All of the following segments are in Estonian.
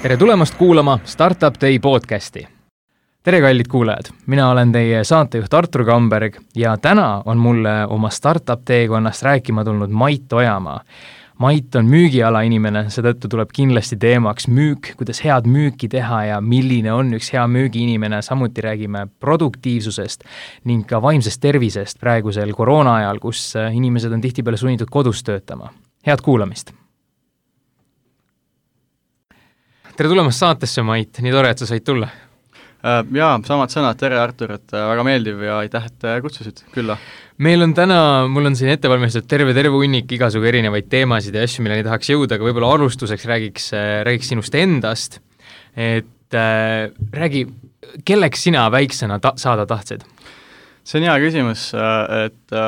Tere tulemast kuulama Startup Day podcasti. Tere kallid kuulajad, mina olen teie saatejuht Artur Kamberg ja täna on mulle oma Startup teekonnast rääkima tulnud Mait Ojamaa. Mait on müügiala inimene, seetõttu tuleb kindlasti teemaks müük, kuidas head müüki teha ja milline on üks hea müügiinimene. Samuti räägime produktiivsusest ning ka vaimsest tervisest praegusel koroona ajal, kus inimesed on tihtipeale sunnitud kodus töötama. Head kuulamist! Tere tulemast saatesse, Mait, nii tore, et sa said tulla. Jaa, samad sõnad, tere Artur, et väga meeldiv ja aitäh, et kutsusid külla. Meil on täna, mul on siin ettevalmistatud terve hunnik igasugu erinevaid teemasid ja asju, milleni tahaks jõuda, aga võib-olla alustuseks räägiks sinust endast, et räägi, kelleks sina väiksena saada tahtsid? See on hea küsimus, et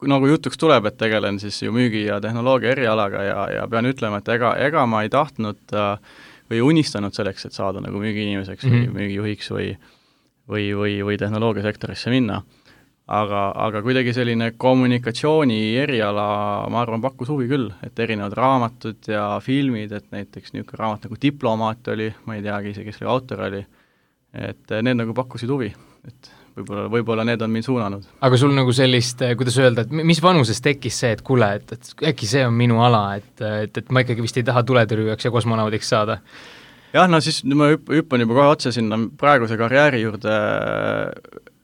nagu jutuks tuleb, et tegelen siis ju müügi ja tehnoloogia erialaga ja pean ütlema, et ega ma ei tahtnud või unistanud selleks, et saada nagu müügiinimeseks või müügijuhiks või tehnoloogiasektorisse minna. Aga kuidagi selline kommunikatsiooni eriala, ma arvan, pakkus huvi küll, et erinevad raamatud ja filmid, et näiteks niisugune raamat nagu Diplomaat oli, ma ei teagi ise, kes oli autor oli, et need nagu pakkusid huvi, et võib-olla need on mind suunanud. Aga sul nagu sellist, kuidas öelda, et mis vanuses tekkis see, et kuule, et äkki see on minu ala, et ma ikkagi vist ei taha tuletõrjujaks ja kosmonaudiks saada? Jah, no siis ma hüppan juba kohe otse sinna praeguse karjääri juurde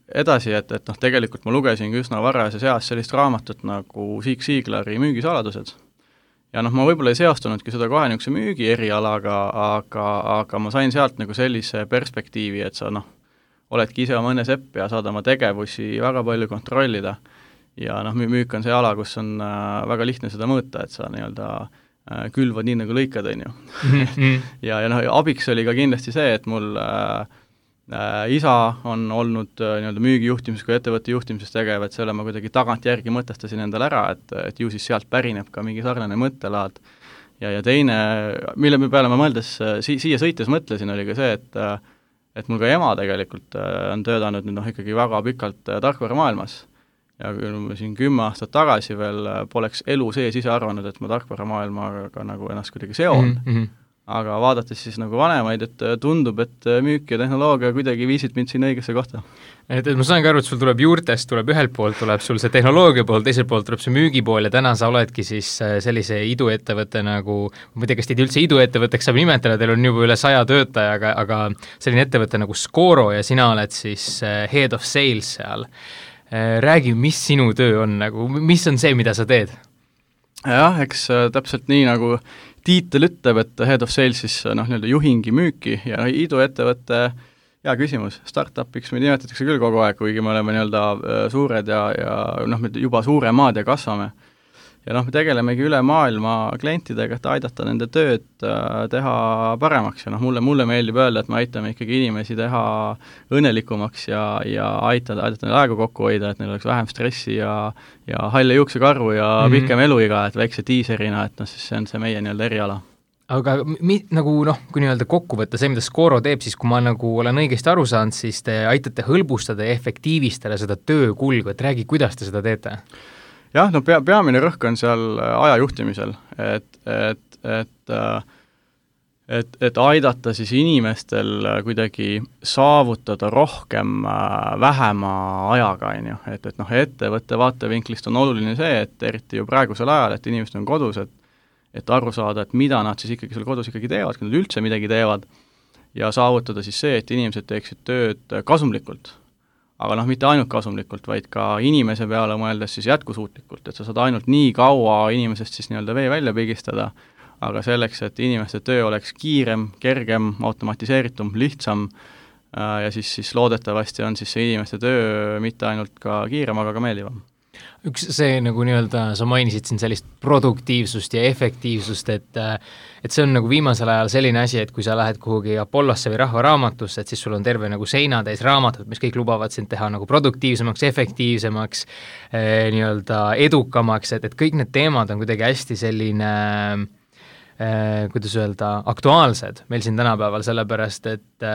edasi, et tegelikult ma lugesin üsna varajases eas sellist raamatut nagu Zig Ziglari müügisaladused. Ja ma võib-olla ei seostunudki seda kohe niisuguse müügi erialaga, aga ma sain sealt nagu sellise perspektiivi, et sa oledki ise oma õnne sepp ja saad oma tegevusi väga palju kontrollida. Ja müük on see ala, kus on väga lihtne seda mõõta, et sa nii-öelda külvad nii nagu lõikad, on ju. ja abiks oli ka kindlasti see, et mul isa on olnud nii-öelda müügijuhtimises kui ettevõtte juhtimises tegev, et selle ma kuidagi tagantjärgi mõtestasin endale ära, et ju siis sealt pärineb ka mingi sarnane mõttelaad. Ja teine, mille peale ma mõeldes siia sõites mõtlesin, oli ka see, et mul ka ema tegelikult on töötanud nüüd ikkagi väga pikalt tarkvaramaailmas. Ja kui ma siin 10 aastat tagasi veel poleks elu sees ise arvanud, et ma tarkvaramaailmaga nagu ennast kuidagi seon. Aga vaadates siis nagu vanemaid, et tundub, et müük ja tehnoloogia kuidagi viisid mind siin õigesse kohta. Et ma saan ka aru, et sul tuleb juurtest, tuleb ühelt poolt, tuleb sul see tehnoloogia pool, teiselt poolt tuleb see müügi pool ja täna sa oledki siis sellise iduettevõtte nagu, ma ei tea, kas teid üldse iduettevõtteks saab nimetada, teil on juba üle 100 töötaja, aga selline ettevõte nagu Scoro ja sina oled siis head of sales seal. Räägi, mis sinu töö on, nagu, mis on see, mida sa teed? Jah, eks täpselt nii nagu tiitel ütleb, et head of sales siis nii-öelda juhingi müüki ja iduettevõtte, hea küsimus, startupiks me nimetatakse küll kogu aeg, kuigi me oleme nii-öelda suured ja me juba suuremad ja kasvame. Ja me tegelemegi üle maailma klientidega, et aidata nende tööd teha paremaks ja mulle meeldib öelda, et me aitame ikkagi inimesi teha õnnelikumaks ja aidata neil aega kokku hoida, et neil oleks vähem stressi ja halle juuksekarvu ja pikem eluiga, et väikse tiiserina, et siis see on see meie nii-öelda eriala. Aga nagu kui nii-öelda kokku võtta see, mida Scoro teeb, siis kui ma nagu olen õigesti aru saanud, siis te aitate hõlbustada ja efektiivistada seda töökulgu, et räägi, kuidas te seda teete? Jah, peamine rõhk on seal aja juhtimisel, et aidata siis inimestel kuidagi saavutada rohkem vähema ajaga, et ettevõtte vaatevinklist on oluline see, et eriti ju praegusel ajal, et inimesed on kodus, et aru saada, et mida nad siis ikkagi seal kodus ikkagi teevad, kui nad üldse midagi teevad ja saavutada siis see, et inimesed teeksid tööd kasumlikult. Aga mitte ainult kasumlikult, vaid ka inimese peale mõeldes siis jätkusuutlikult, et sa saad ainult nii kaua inimesest siis nii-öelda vee välja pigistada, aga selleks, et inimeste töö oleks kiirem, kergem, automatiseeritum, lihtsam ja siis loodetavasti on siis see inimeste töö mitte ainult ka kiirem, aga ka meeldivam. Üks see nagu nii-öelda, sa mainisid siin sellist produktiivsust ja efektiivsust, et see on nagu viimasel ajal selline asi, et kui sa lähed kuhugi Apollosse või Rahvaraamatusse, et siis sul on terve nagu seina täis raamatud, mis kõik lubavad sind teha nagu produktiivsemaks, efektiivsemaks, nii-öelda edukamaks, et kõik need teemad on kuidagi hästi selline kuidas öelda, aktuaalsed meil siin tänapäeval, sellepärast, et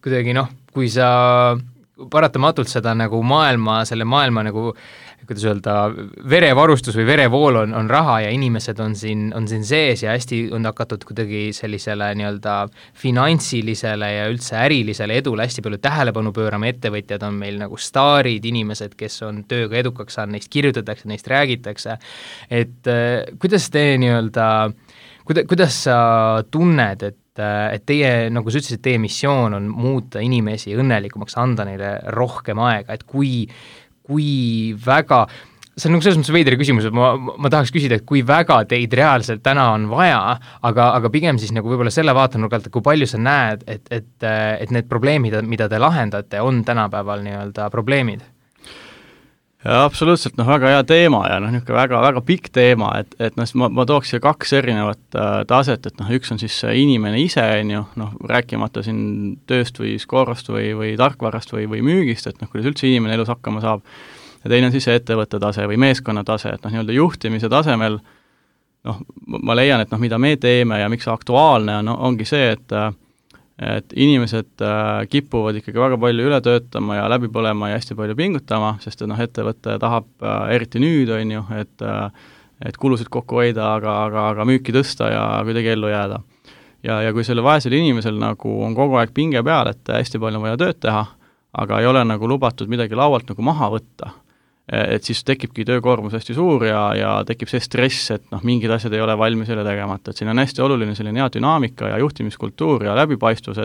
kuidagi kui sa paratamatult seda nagu maailma nagu kuidas öelda, verevarustus või verevool on raha ja inimesed on siin sees ja hästi on hakatud kuidagi sellisele nii-öelda finantsilisele ja üldse ärilisele edule hästi palju tähelepanu pöörama, ettevõtjad on meil nagu staarid, inimesed, kes on tööga edukaks saanud, neist kirjutatakse, neist räägitakse, et kuidas te nii-öelda, kuidas sa tunned, et teie, nagu sa ütlesid, teie missioon on muuta inimesi õnnelikumaks, anda neile rohkem aega, et kui väga, see on nagu selles mõttes veidri küsimus, et ma tahaks küsida, et kui väga teid reaalselt täna on vaja, aga pigem siis nagu võib-olla selle vaatenurgalt, et kui palju sa näed, et need probleemid, mida te lahendate, on tänapäeval nii-öelda probleemid? Ja absoluutselt, väga hea teema ja niisugune väga pikk teema, et ma tooks siia 2 erinevat taset, et üks on siis inimene ise, rääkimata siin tööst või skoorost või tarkvarast või müügist, et kuidas üldse inimene elus hakkama saab, ja teine on siis ettevõtte tase või meeskonna tase, et nii-öelda juhtimise tasemel, ma leian, et mida me teeme ja miks see aktuaalne on, ongi see, et inimesed kipuvad ikkagi väga palju üle töötama ja läbi põlema ja hästi palju pingutama, sest ettevõte tahab eriti nüüd, et kulusid kokku hoida, aga müüki tõsta ja kuidagi ellu jääda. Ja kui selle vaesel inimesel nagu on kogu aeg pinge peal, et hästi palju on vaja tööd teha, aga ei ole nagu lubatud midagi laualt nagu maha võtta, et siis tekibki töökoormus hästi suur ja tekib see stress, et mingid asjad ei ole valmis jälle tegemata, et siin on hästi oluline selline hea dünaamika ja juhtimiskultuur ja läbipaistvus,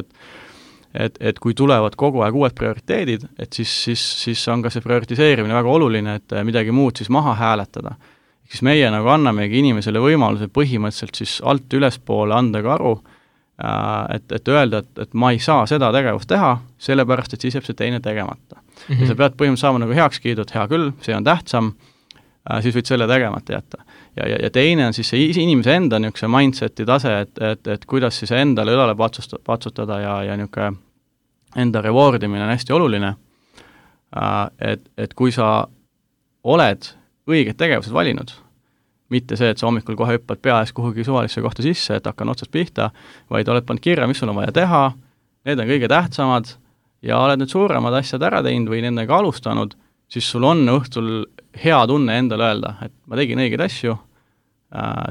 et kui tulevad kogu aeg uued prioriteedid, et siis on ka see prioritiseerimine väga oluline, et midagi muud siis maha hääletada. Siis meie nagu annamegi inimesele võimaluse põhimõtteliselt siis alt ülespoole anda ka aru, et öelda, et ma ei saa seda tegevust teha, sellepärast, et siis jääb see teine tegemata. Ja sa pead põhimõtteliselt saama nagu heaks kiidud, hea küll, see on tähtsam, siis võid selle tegemata jätta. Ja teine on siis see inimese enda niisuguse mindseti tase, et kuidas siis endale õlale patsutada ja niisugune enda rewardimine on hästi oluline, et kui sa oled õiged tegevused valinud, mitte see, et sa hommikul kohe hüppad pea ees kuhugi suvalisse kohta sisse, et hakkan otsast pihta, vaid oled pannud kirja, mis sul on vaja teha, need on kõige tähtsamad ja oled need suuremad asjad ära teinud või nendega alustanud, siis sul on õhtul hea tunne endale öelda, et ma tegin õigeid asju,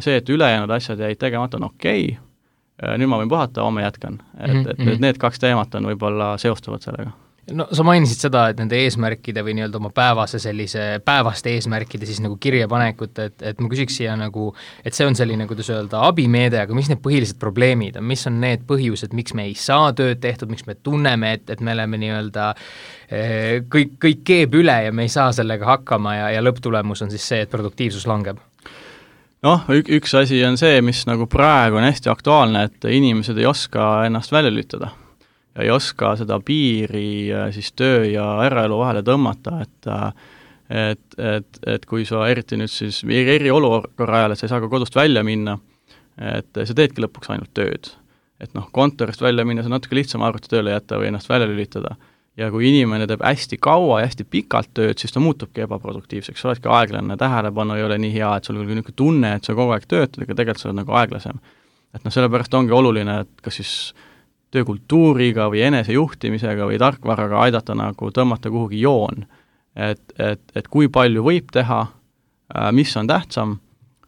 see, et ülejäänud asjad jäid tegemata, on okei, nüüd ma võin puhata, homme jätkan. Et need 2 teemat on võib-olla seostuvad sellega. No sa mainisid seda, et nende eesmärkide või nii-öelda oma päevaste eesmärkide siis nagu kirjapanekut, et ma küsiks siia nagu, et see on selline, kuidas öelda, abimeede, aga mis need põhilised probleemid on, mis on need põhjused, miks me ei saa tööd tehtud, miks me tunneme, et me oleme nii-öelda kõik keeb üle ja me ei saa sellega hakkama ja lõpptulemus on siis see, et produktiivsus langeb? Üks asi on see, mis nagu praegu on hästi aktuaalne, et inimesed ei oska ennast välja lülitada. Ja ei oska seda piiri siis töö ja eraelu vahele tõmmata, et kui sa eriti nüüd siis eriolukorra ajal, et sa ei saa ka kodust välja minna, et sa teedki lõpuks ainult tööd. Et kontorist välja minna, see on natuke lihtsam arvutitööle jätta või ennast välja lülitada. Ja kui inimene teeb hästi kaua ja hästi pikalt tööd, siis ta muutubki ebaproduktiivseks, sa oledki aeglane, tähelepanu ei ole nii hea, et sul on niisugune tunne, et sa kogu aeg töötad, aga tegelikult sa oled nagu aeglasem. Et sellepärast ongi oluline, et kas siis töökultuuriga või enesejuhtimisega või tarkvaraga aidata nagu tõmmata kuhugi joon, et kui palju võib teha, mis on tähtsam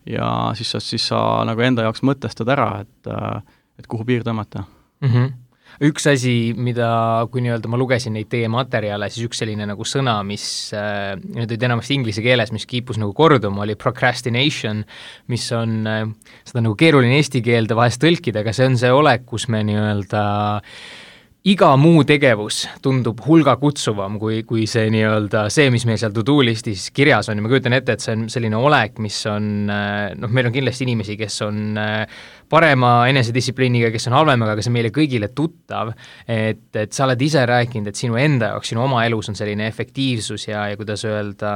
ja siis sa nagu enda jaoks mõtestad ära, et kuhu piir tõmmata. Üks asi, mida, kui nii-öelda ma lugesin neid teie materjale, siis üks selline nagu sõna, mis nüüd olid enamasti inglise keeles, mis kiipus nagu korduma, oli procrastination, mis on seda nagu keeruline eesti keelde vahest tõlkida, aga see on see olek, kus me nii-öelda iga muu tegevus tundub hulga kutsuvam kui see nii-öelda see, mis meil seal to-do listis kirjas on ja ma kujutan ette, et see on selline olek, mis on, meil on kindlasti inimesi, kes on parema enesedistsipliiniga, kes on halvemaga, aga see meile kõigile tuttav, et sa oled ise rääkinud, et sinu enda jaoks, sinu oma elus on selline efektiivsus ja kuidas öelda,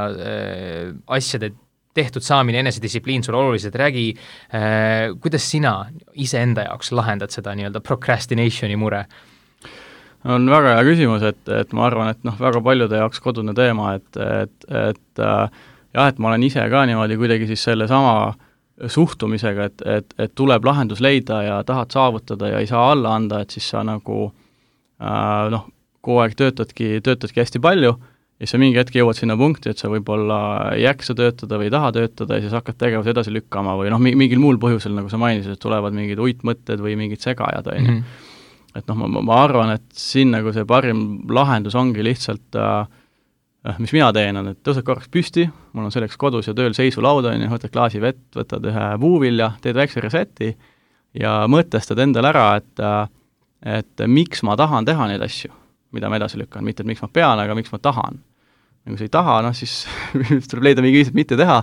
asjade tehtud saamine, enesedistsipliin sul oluliselt, räägi, kuidas sina ise enda jaoks lahendad seda nii-öelda procrastinationi mure? On väga hea küsimus, et ma arvan, et väga paljude jaoks kodune teema, et ma olen ise ka niimoodi kuidagi siis selle sama suhtumisega, et tuleb lahendus leida ja tahad saavutada ja ei saa alla anda, et siis sa nagu kogu aeg töötadki hästi palju ja siis sa mingi hetk jõuad sinna punkti, et sa võib-olla ei jaksa töötada või ei taha töötada ja siis hakkad tegevuse edasi lükkama või noh, mingil muul põhjusel, nagu sa mainisid, et tulevad mingid uitmõtted või mingid segajad, on ju. Et noh, ma arvan, et siin nagu see parim lahendus ongi lihtsalt mis mina teen, on, et tõused korraks püsti, mul on selleks kodus ja tööl seisulauda, on ju, võtad klaasi vett, võtad ühe puuvilja, teed väikse reseti ja mõtestad endale ära, et miks ma tahan teha neid asju, mida ma edasi lükkan, mitte et miks ma pean, aga miks ma tahan. Ja kui sa ei taha, noh siis tuleb leida mingi viis, mitte teha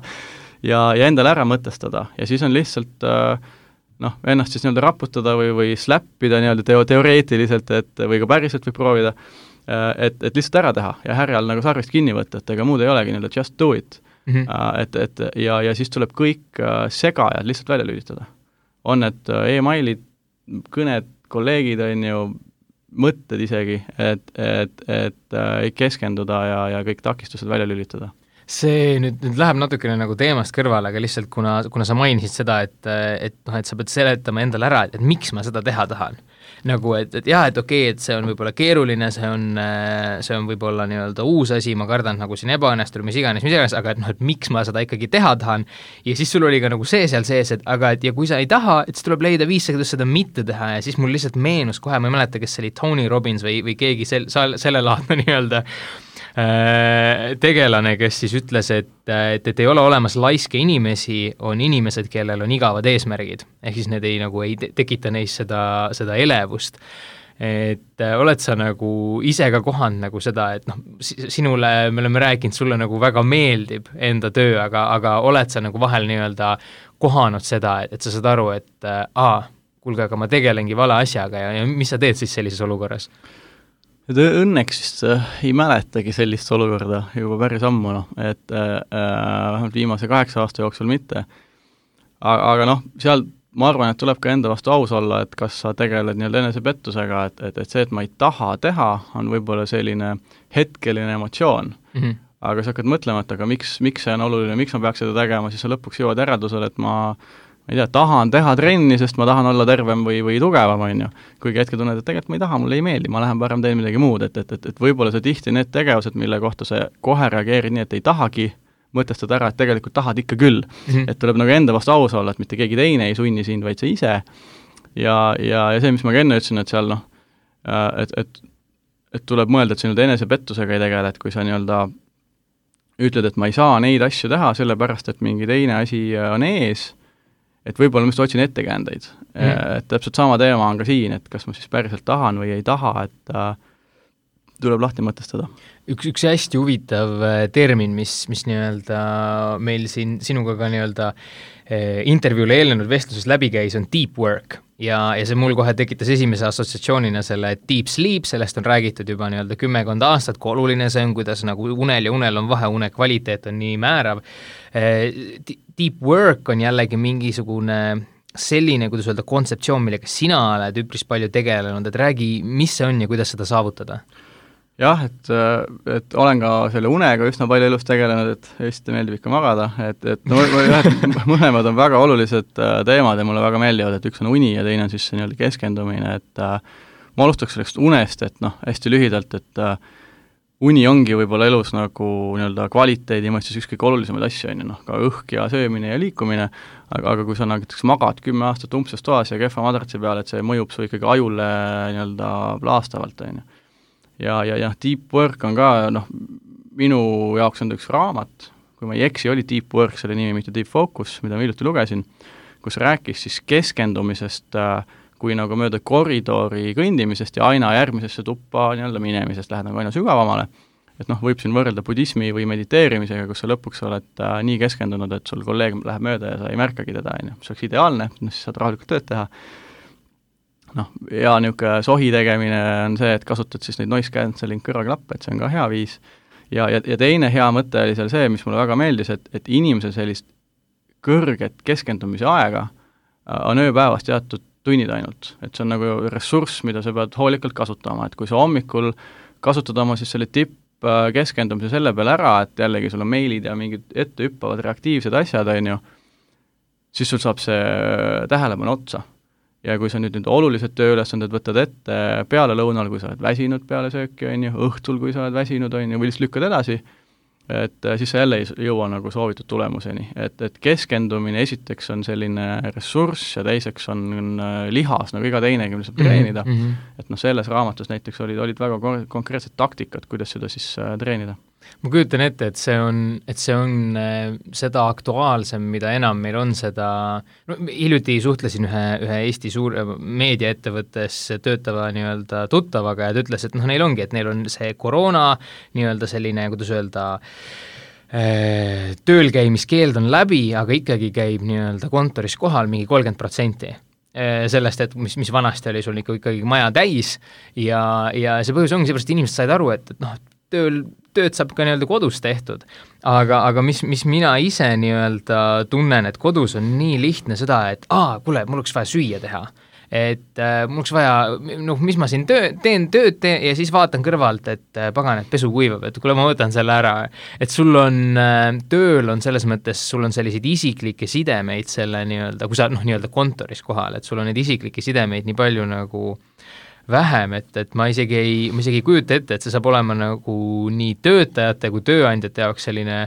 ja endale ära mõtestada ja siis on lihtsalt noh, ennast siis nii-öelda raputada või slappida nii-öelda teoreetiliselt, või ka päriselt võib proovida, et lihtsalt ära teha ja härjal nagu sarvist kinni võtta, et ega muud ei olegi nii-öelda just do it. Ja siis tuleb kõik segajad lihtsalt välja lülitada. On need e-mailid, kõned, kolleegid, on ju, mõtted isegi, et keskenduda ja kõik takistused välja lülitada. See nüüd läheb natukene nagu teemast kõrvale, aga lihtsalt kuna sa mainisid seda, et sa pead seletama endale ära, et miks ma seda teha tahan. Nagu, et okei, et see on võib-olla keeruline, see on võib-olla nii-öelda uus asi, ma kardan nagu siin ebaõnnestur, mis iganes, aga et miks ma seda ikkagi teha tahan. Ja siis sul oli ka nagu see seal sees, et kui sa ei taha, et siis tuleb leida viis, kuidas seda mitte teha ja siis mul lihtsalt meenus kohe, ma ei mäleta, kes see oli Tony Robbins või keegi selle laadne nii-öelda tegelane, kes siis ütles, et ei ole olemas laiske inimesi, on inimesed, kellel on igavad eesmärgid. Ehk siis need ei tekita neis seda elevust. Et oled sa nagu ise ka kohanud nagu seda, et noh, sinule, me oleme rääkinud, sulle nagu väga meeldib enda töö, aga oled sa nagu vahel nii-öelda kohanud seda, et sa saad aru, et kuulge, aga ma tegelengi vale asjaga ja mis sa teed siis sellises olukorras? Et õnneks vist ei mäletagi sellist olukorda juba päris ammu, noh, et vähemalt viimase 8 aasta jooksul mitte. Aga noh, seal ma arvan, et tuleb ka enda vastu aus olla, et kas sa tegeled nii-öelda enesepettusega, et see, et ma ei taha teha, on võib-olla selline hetkeline emotsioon. Aga sa hakkad mõtlema, et aga miks see on oluline, miks ma peaks seda tegema, siis sa lõpuks jõuad järeldusele, et ma ei tea, tahan teha trenni, sest ma tahan olla tervem või tugevam, on ju. Kuigi hetke tunned, et tegelikult ma ei taha, mulle ei meeldi, ma lähen parem teen midagi muud, et võib-olla see tihti need tegevused, mille kohta sa kohe reageerid nii, et ei tahagi, mõtestad ära, et tegelikult tahad ikka küll. Et tuleb nagu enda vastu aus olla, et mitte keegi teine ei sunni sind, vaid sa ise. Ja see, mis ma ka enne ütlesin, et seal noh, et tuleb mõelda, et sa nüüd enesepettusega ei tegele, et kui sa nii-öelda ütled, et ma ei saa neid asju teha, sellepärast, et mingi teine asi on ees, et võib-olla ma just otsin ettekäändeid. Et täpselt sama teema on ka siin, et kas ma siis päriselt tahan või ei taha, et tuleb lahti mõtestada. Üks hästi huvitav termin, mis nii-öelda meil siin sinuga ka nii-öelda intervjuule eelnenud vestluses läbi käis, on deep work. Ja see mul kohe tekitas esimese assotsiatsioonina selle deep sleep, sellest on räägitud juba nii-öelda 10 aastat, kui oluline see on, kuidas nagu unel ja unel on vahe, une kvaliteet on nii määrav. Deep work on jällegi mingisugune selline, kuidas öelda, kontseptsioon, millega sina oled üpris palju tegelenud, et räägi, mis see on ja kuidas seda saavutada? Jah, et olen ka selle unega üsna palju elus tegelenud, et Eestit meeldib ikka magada, et mõlemad on väga olulised teemad ja mulle väga meeldivad, et üks on uni ja teine on siis see nii-öelda keskendumine, et ma alustaks sellest unest, et noh, hästi lühidalt, et uni ongi võib-olla elus nagu nii-öelda kvaliteedi mõistes ükskõik olulisemaid asju, on ju, noh, ka õhk ja söömine ja liikumine, aga kui sa näiteks magad 10 aastat umbses toas ja kehva madratsi peal, et see mõjub su ikkagi ajule nii-öelda laastavalt, on ju. Ja deep work on ka, noh, minu jaoks on üks raamat, kui ma ei eksi, oli deep work, selle nimi, mitte deep focus, mida ma hiljuti lugesin, kus rääkis siis keskendumisest kui nagu mööda koridori kõndimisest ja aina järgmisesse tuppa nii-öelda minemisest lähed nagu aina sügavamale. Et noh, võib siin võrrelda budismi või mediteerimisega, kus sa lõpuks oled nii keskendunud, et sul kolleeg läheb mööda ja sa ei märkagi teda, on ju. See oleks ideaalne, siis saad rahulikult tööd teha. Noh, ja niisugune sohi tegemine on see, et kasutad siis neid noise cancelling kõrvaklappe, et see on ka hea viis. Ja teine hea mõte oli seal see, mis mulle väga meeldis, et inimese sellist kõrget keskendumise aega on ööpäevast teatud tunnid ainult. Et see on nagu ressurss, mida sa pead hoolikalt kasutama, et kui sa hommikul kasutad oma siis selle keskendumise selle peale ära, et jällegi sul on meilid ja mingid ette hüppavad reaktiivsed asjad, on ju, siis sul saab see tähelepanu otsa. ja kui sa nüüd olulised tööülesanded võtad ette peale lõunal, kui sa oled väsinud peale sööki, on ju, õhtul, kui sa oled väsinud, on ju, või lihtsalt lükkad edasi, et siis sa jälle ei jõua nagu soovitud tulemuseni. Et keskendumine esiteks on selline ressurss ja teiseks on lihas, nagu iga teinegi, mida saab treenida. Et selles raamatus näiteks olid väga konkreetsed taktikad, kuidas seda siis treenida. Ma kujutan ette, et see on seda aktuaalsem, mida enam meil on seda, hiljuti suhtlesin ühe Eesti suur meediaettevõttes töötava nii-öelda tuttavaga ja ta ütles, et neil ongi, et neil on see koroona nii-öelda selline, kuidas öelda, tööl käimiskeeld on läbi, aga ikkagi käib nii-öelda kontoris kohal mingi 30%. Sellest, et mis vanasti oli sul ikkagi maja täis ja see põhjus ongi seepärast, inimesed said aru, et tööd saab ka nii-öelda kodus tehtud, aga mis mina ise nii-öelda tunnen, et kodus on nii lihtne seda, et kuule, mul oleks vaja süüa teha, et mul oleks vaja, mis ma siin teen tööd ja siis vaatan kõrvalt, et pagan, et pesu kuivab, et kuule, ma võtan selle ära, et sul on, tööl on selles mõttes, sul on selliseid isiklikke sidemeid selle nii-öelda, kui sa nii-öelda kontoris kohal, et sul on neid isiklikke sidemeid nii palju nagu vähem, et ma isegi ei kujuta ette, et see saab olema nagu nii töötajate kui tööandjate jaoks selline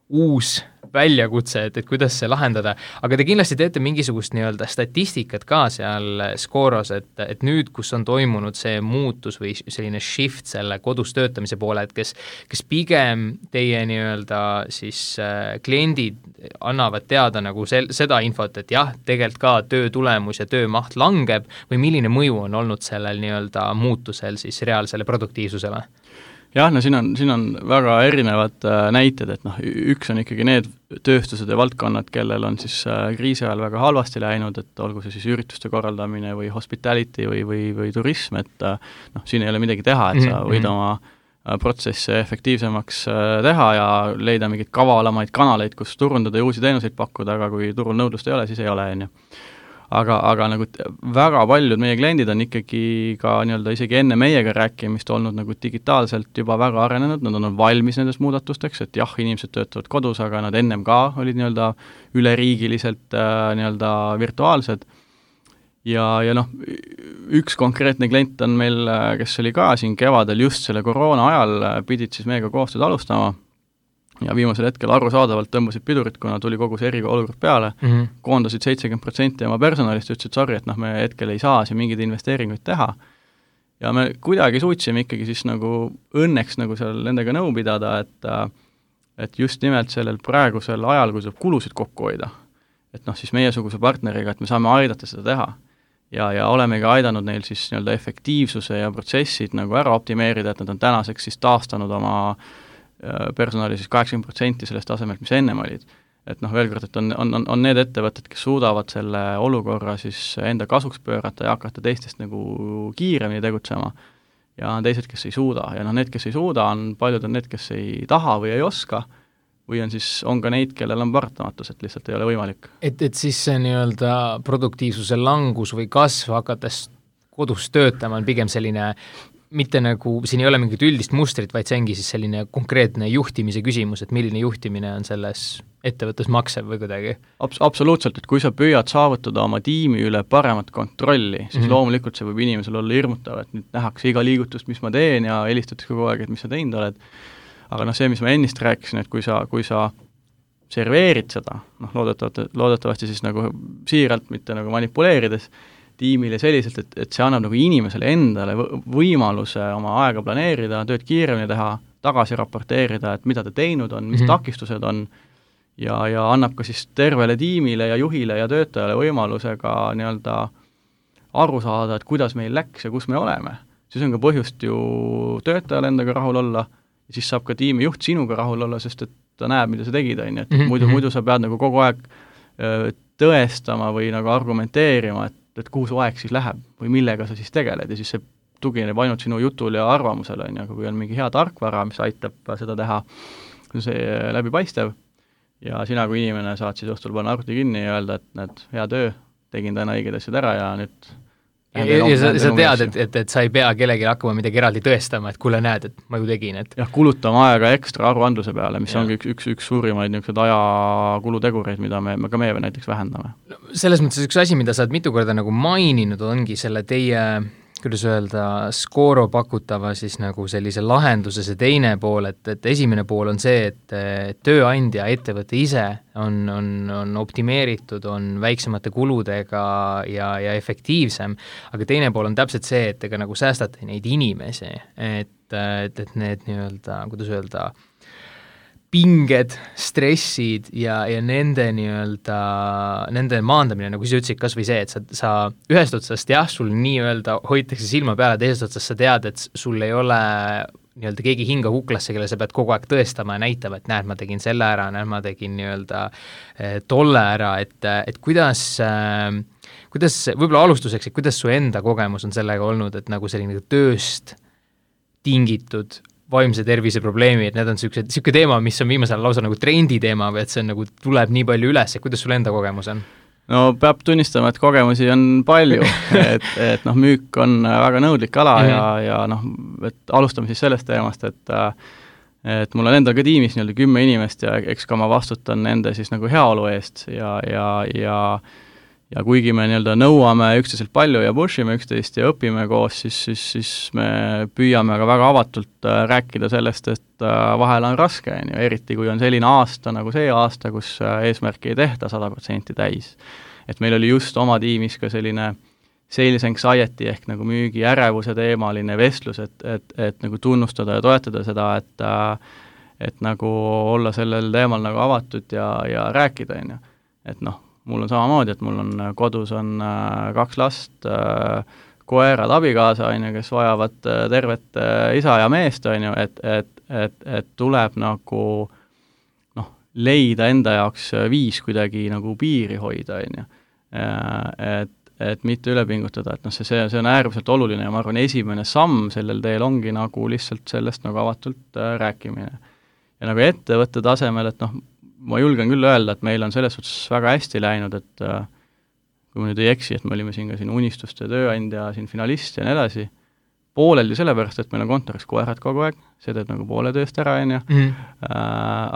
uus väljakutse, et kuidas see lahendada, aga te kindlasti teete mingisugust nii-öelda statistikat ka seal Scoros, et nüüd, kus on toimunud see muutus või selline shift selle kodus töötamise poole, et kes pigem teie nii-öelda siis kliendid annavad teada nagu seda infot, et jah, tegelikult ka töö tulemus ja töömaht langeb või milline mõju on olnud sellel nii-öelda muutusel siis reaalsele produktiivsusele? Jah, siin on väga erinevad näited, et üks on ikkagi need tööstused ja valdkonnad, kellel on siis kriisi ajal väga halvasti läinud, et olgu see siis ürituste korraldamine või hospitality või turism, et siin ei ole midagi teha, et sa võid oma protsesse efektiivsemaks teha ja leida mingeid kavalamaid kanaleid, kus turundada ja uusi teenuseid pakkuda, aga kui turul nõudlust ei ole, siis ei ole, on ju. Aga nagu väga paljud meie kliendid on ikkagi ka nii-öelda isegi enne meiega rääkimist olnud nagu digitaalselt juba väga arenenud, nad on valmis nendest muudatusteks, et jah, inimesed töötavad kodus, aga nad ennem ka olid nii-öelda üleriigiliselt nii-öelda virtuaalsed. Ja üks konkreetne klient on meil, kes oli ka siin kevadel just selle koroona ajal, pidid siis meiega koostööd alustama ja viimasel hetkel arusaadavalt tõmbasid pidurit, kuna tuli kogu see eriolukord peale, koondasid 70% oma personalist, ütlesid, sorry, et me hetkel ei saa siin mingeid investeeringuid teha. Ja me kuidagi suutsime ikkagi siis nagu õnneks nagu seal nendega nõu pidada, et just nimelt sellel praegusel ajal, kui saab kulusid kokku hoida, et siis meiesuguse partneriga, et me saame aidata seda teha. Ja olemegi aidanud neil siis nii-öelda efektiivsuse ja protsessid nagu ära optimeerida, et nad on tänaseks siis taastanud oma personali siis 80% sellest tasemelt, mis ennem olid. Et veel kord, et on need ettevõtted, kes suudavad selle olukorra siis enda kasuks pöörata ja hakata teistest nagu kiiremini tegutsema. Ja on teised, kes ei suuda. Ja need, kes ei suuda, paljud on need, kes ei taha või ei oska, või on ka neid, kellel on paratamatus, et lihtsalt ei ole võimalik. Et siis see nii-öelda produktiivsuse langus või kasv hakates kodus töötama on pigem selline mitte nagu, siin ei ole mingit üldist mustrit, vaid see ongi siis selline konkreetne juhtimise küsimus, et milline juhtimine on selles ettevõttes maksev või kuidagi? Absoluutselt, et kui sa püüad saavutada oma tiimi üle paremat kontrolli, siis loomulikult see võib inimesel olla hirmutav, et nüüd nähakse iga liigutust, mis ma teen ja helistatakse kogu aeg, et mis sa teinud oled. Aga see, mis ma ennist rääkisin, et kui sa serveerid seda, loodetavasti siis nagu siiralt, mitte nagu manipuleerides, tiimile selliselt, et see annab nagu inimesele endale võimaluse oma aega planeerida, tööd kiiremini teha, tagasi raporteerida, et mida ta teinud on, mis takistused on ja annab ka siis tervele tiimile ja juhile ja töötajale võimaluse ka nii-öelda aru saada, et kuidas meil läks ja kus me oleme. Siis on ka põhjust ju töötajale endaga rahul olla ja siis saab ka tiimi juht sinuga rahul olla, sest et ta näeb, mida sa tegid, on, et muidu sa pead nagu kogu aeg tõestama või nagu argumenteerima, et kuhu su aeg siis läheb või millega sa siis tegeled ja siis see tugineb ainult sinu jutul ja arvamusele, on, aga kui on mingi hea tarkvara, mis aitab seda teha, see läbipaistev ja sina kui inimene saad siis õhtul panna arvuti kinni ja öelda, et hea töö, tegin täna õiged asjad ära ja nüüd ja sa tead, et sa ei pea kellelegi hakkama midagi eraldi tõestama, et kuule näed, et ma ju tegin, et jah, kulutama aega ekstra aruandluse peale, mis ongi üks suurimaid niisuguseid ajakulutegureid, mida ka meie näiteks vähendame. Selles mõttes üks asi, mida sa oled mitu korda nagu maininud, ongi selle teie kuidas öelda, Scoro pakutava siis nagu sellise lahenduse see teine pool, et esimene pool on see, et tööandja, ettevõte ise on optimeeritud, on väiksemate kuludega ja efektiivsem, aga teine pool on täpselt see, et ega nagu säästate neid inimesi, et need nii-öelda, kuidas öelda, pinged, stressid ja nende nii-öelda, nende maandamine, nagu sa ütlesid, kas või see, et sa ühest otsast sul nii-öelda hoitakse silma peale, teisest otsast sa tead, et sul ei ole nii-öelda keegi hinga kuklasse, kelle sa pead kogu aeg tõestama ja näitama, et näed, ma tegin selle ära, näed, ma tegin nii-öelda tolle ära, et kuidas võib-olla alustuseks, et kuidas su enda kogemus on sellega olnud, et nagu selline tööst tingitud vaimse tervise probleemi, et need on niisugune teema, mis on viimasel lausa nagu trendi teema või et see on nagu tuleb nii palju üles, et kuidas sul enda kogemus on? No peab tunnistama, et kogemusi on palju, et müük on väga nõudlik ala ja et alustame siis sellest teemast, et mul on endal ka tiimis 10 inimest ja eks ka ma vastutan nende siis nagu heaolu eest ja kuigi me nõuame üksteiselt palju ja pushime üksteist ja õpime koos, siis me püüame ka väga avatult rääkida sellest, et vahel on raske, eriti kui on selline aasta nagu see aasta, kus eesmärki ei tehta 100% täis. Et meil oli just oma tiimis ka selline sales anxiety ehk nagu müügi ärevuse teemaline vestlus, et nagu tunnustada ja toetada seda, et nagu olla sellel teemal nagu avatud ja rääkida, et mul on samamoodi, et mul on kodus on 2 last, koerad, abikaasa, kes vajavad tervet isa ja meest, et tuleb nagu leida enda jaoks viis kuidagi nagu piiri hoida, et mitte üle pingutada, et see on äärmiselt oluline ja ma arvan, esimene samm sellel teel ongi nagu lihtsalt sellest nagu avatult rääkimine. Ja nagu ettevõtte tasemel, et ma julgen küll öelda, et meil on selles suhtes väga hästi läinud, et kui ma nüüd ei eksi, et me olime siin ka unistuste tööandja, siin finalist ja nii edasi, pooleldi sellepärast, et meil on kontoris koerad kogu aeg, see teeb nagu poole tööst ära,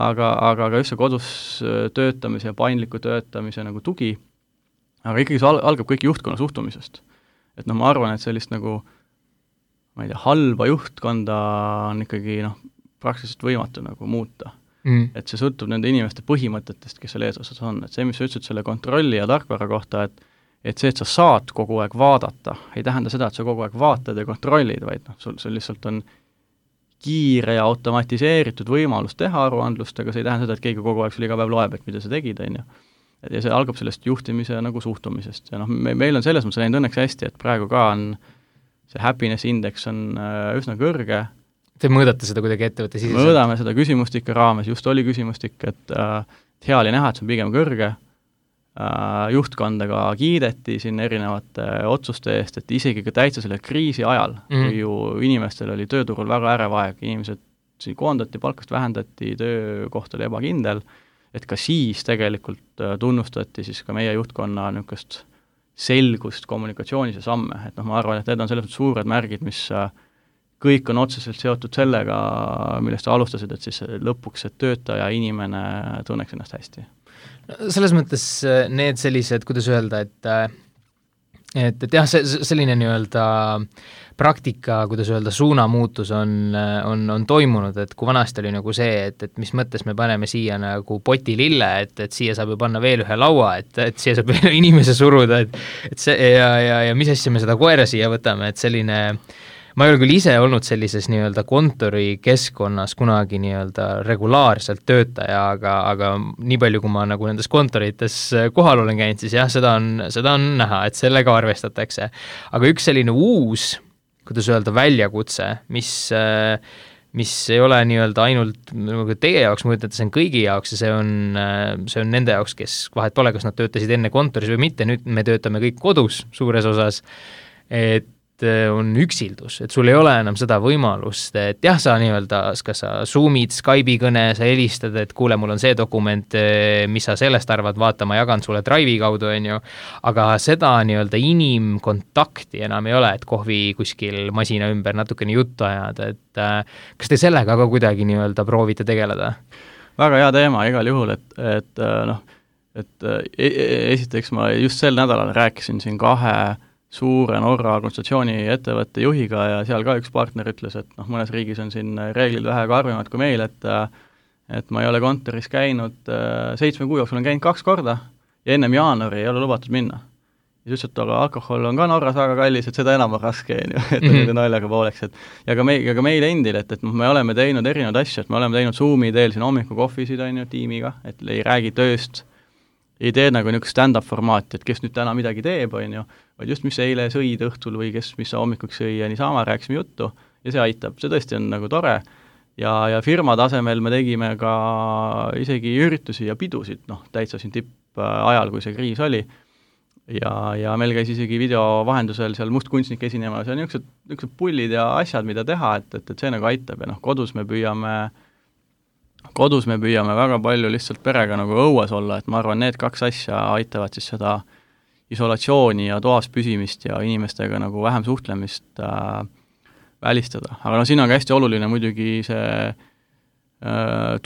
aga just see kodus töötamise ja paindliku töötamise nagu tugi, aga ikkagi see algab kõik juhtkonna suhtumisest. Et ma arvan, et sellist nagu, ma ei tea, halba juhtkonda on ikkagi praktiliselt võimatu nagu muuta. Et see sõltub nende inimeste põhimõtetest, kes seal eesotsas on, et see, mis sa ütlesid selle kontrolli ja tarkvara kohta, et see, et sa saad kogu aeg vaadata, ei tähenda seda, et sa kogu aeg vaatad ja kontrollid, vaid sul lihtsalt on kiire ja automatiseeritud võimalus teha aruandlust, aga see ei tähenda seda, et keegi kogu aeg sul iga päev loeb, et mida sa tegid, ja see algab sellest juhtimise nagu suhtumisest ja meil on selles mõttes läinud õnneks hästi, et praegu ka on see happiness index on üsna kõrge. Te mõõdate seda kuidagi ettevõtte siseselt? Mõõdame seda küsimustike raames, just oli küsimustik, et hea oli näha, et see on pigem kõrge, juhtkondaga kiideti siin erinevate otsuste eest, et isegi ka täitsa selle kriisi ajal, kui ju inimestel oli tööturul väga ärev aeg, inimesed siin koondati, palkast vähendati, töökoht oli ebakindel, et ka siis tegelikult tunnustati siis ka meie juhtkonna niisugust selgust kommunikatsioonis ja samme, et ma arvan, et need on selles suured märgid, mis kõik on otseselt seotud sellega, millest sa alustasid, et siis lõpuks see töötaja inimene tunneks ennast hästi. Selles mõttes need sellised, kuidas öelda, et jah, selline nii-öelda praktika, kuidas öelda, suunamuutus on toimunud, et kui vanasti oli nagu see, et mis mõttes me paneme siia nagu poti lille, et siia saab ju panna veel ühe laua, et siia saab veel inimese suruda, et see ja mis asja me seda koera siia võtame, et selline ma ei ole küll ise olnud sellises nii-öelda kontorikeskkonnas kunagi nii-öelda regulaarselt töötaja, aga nii palju, kui ma nagu nendes kontorites kohal olen käinud, siis jah, seda on näha, et sellega arvestatakse. Aga üks selline uus, kuidas öelda, väljakutse, mis ei ole nii-öelda ainult teie jaoks, ma ütlen, et see on kõigi jaoks ja see on nende jaoks, kes vahet pole, kas nad töötasid enne kontoris või mitte, nüüd me töötame kõik kodus suures osas, et on üksildus, et sul ei ole enam seda võimalust, et jah, sa nii-öelda, kas sa Zoom'id, Skype'i kõne, sa helistad, et kuule, mul on see dokument, mis sa sellest arvad, vaata, ma jagan sulle Drive'i kaudu, on ju, aga seda nii-öelda inimkontakti enam ei ole, et kohvi kuskil masina ümber natukene juttu ajada, et kas te sellega ka kuidagi nii-öelda proovite tegeleda? Väga hea teema igal juhul, esiteks ma just sel nädalal rääkisin siin 2 suure Norra konsultatsiooni ettevõtte juhiga ja seal ka üks partner ütles, et mõnes riigis on siin reeglid vähe karmimad kui meil, et ma ei ole kontoris käinud 7 kuu jooksul, olen käinud 2 korda ja ennem jaanuari ei ole lubatud minna. Ja siis ütles, et aga alkohol on ka Norras väga kallis, et seda enam on raske, et nende naljaga pooleks. Ja ka meil endil, et me oleme teinud erinevaid asju, et me oleme teinud Zoomi teel siin hommikukohvisid tiimiga, et ei räägi tööst, ei tee nagu niisugust stand-up formaati, et kes nüüd täna midagi teeb, vaid just mis eile sõid õhtul või mis sa hommikuks sõi ja niisama rääkisime juttu ja see aitab, see tõesti on nagu tore ja firma tasemel me tegime ka isegi üritusi ja pidusid, täitsa siin tippajal, kui see kriis oli ja meil käis isegi video vahendusel seal mustkunstnik esinema, see on niisugused pullid ja asjad, mida teha, et see nagu aitab ja kodus me püüame väga palju lihtsalt perega nagu õues olla, et ma arvan, need 2 asja aitavad siis seda isolatsiooni ja toas püsimist ja inimestega nagu vähem suhtlemist välistada. Aga siin on ka hästi oluline muidugi see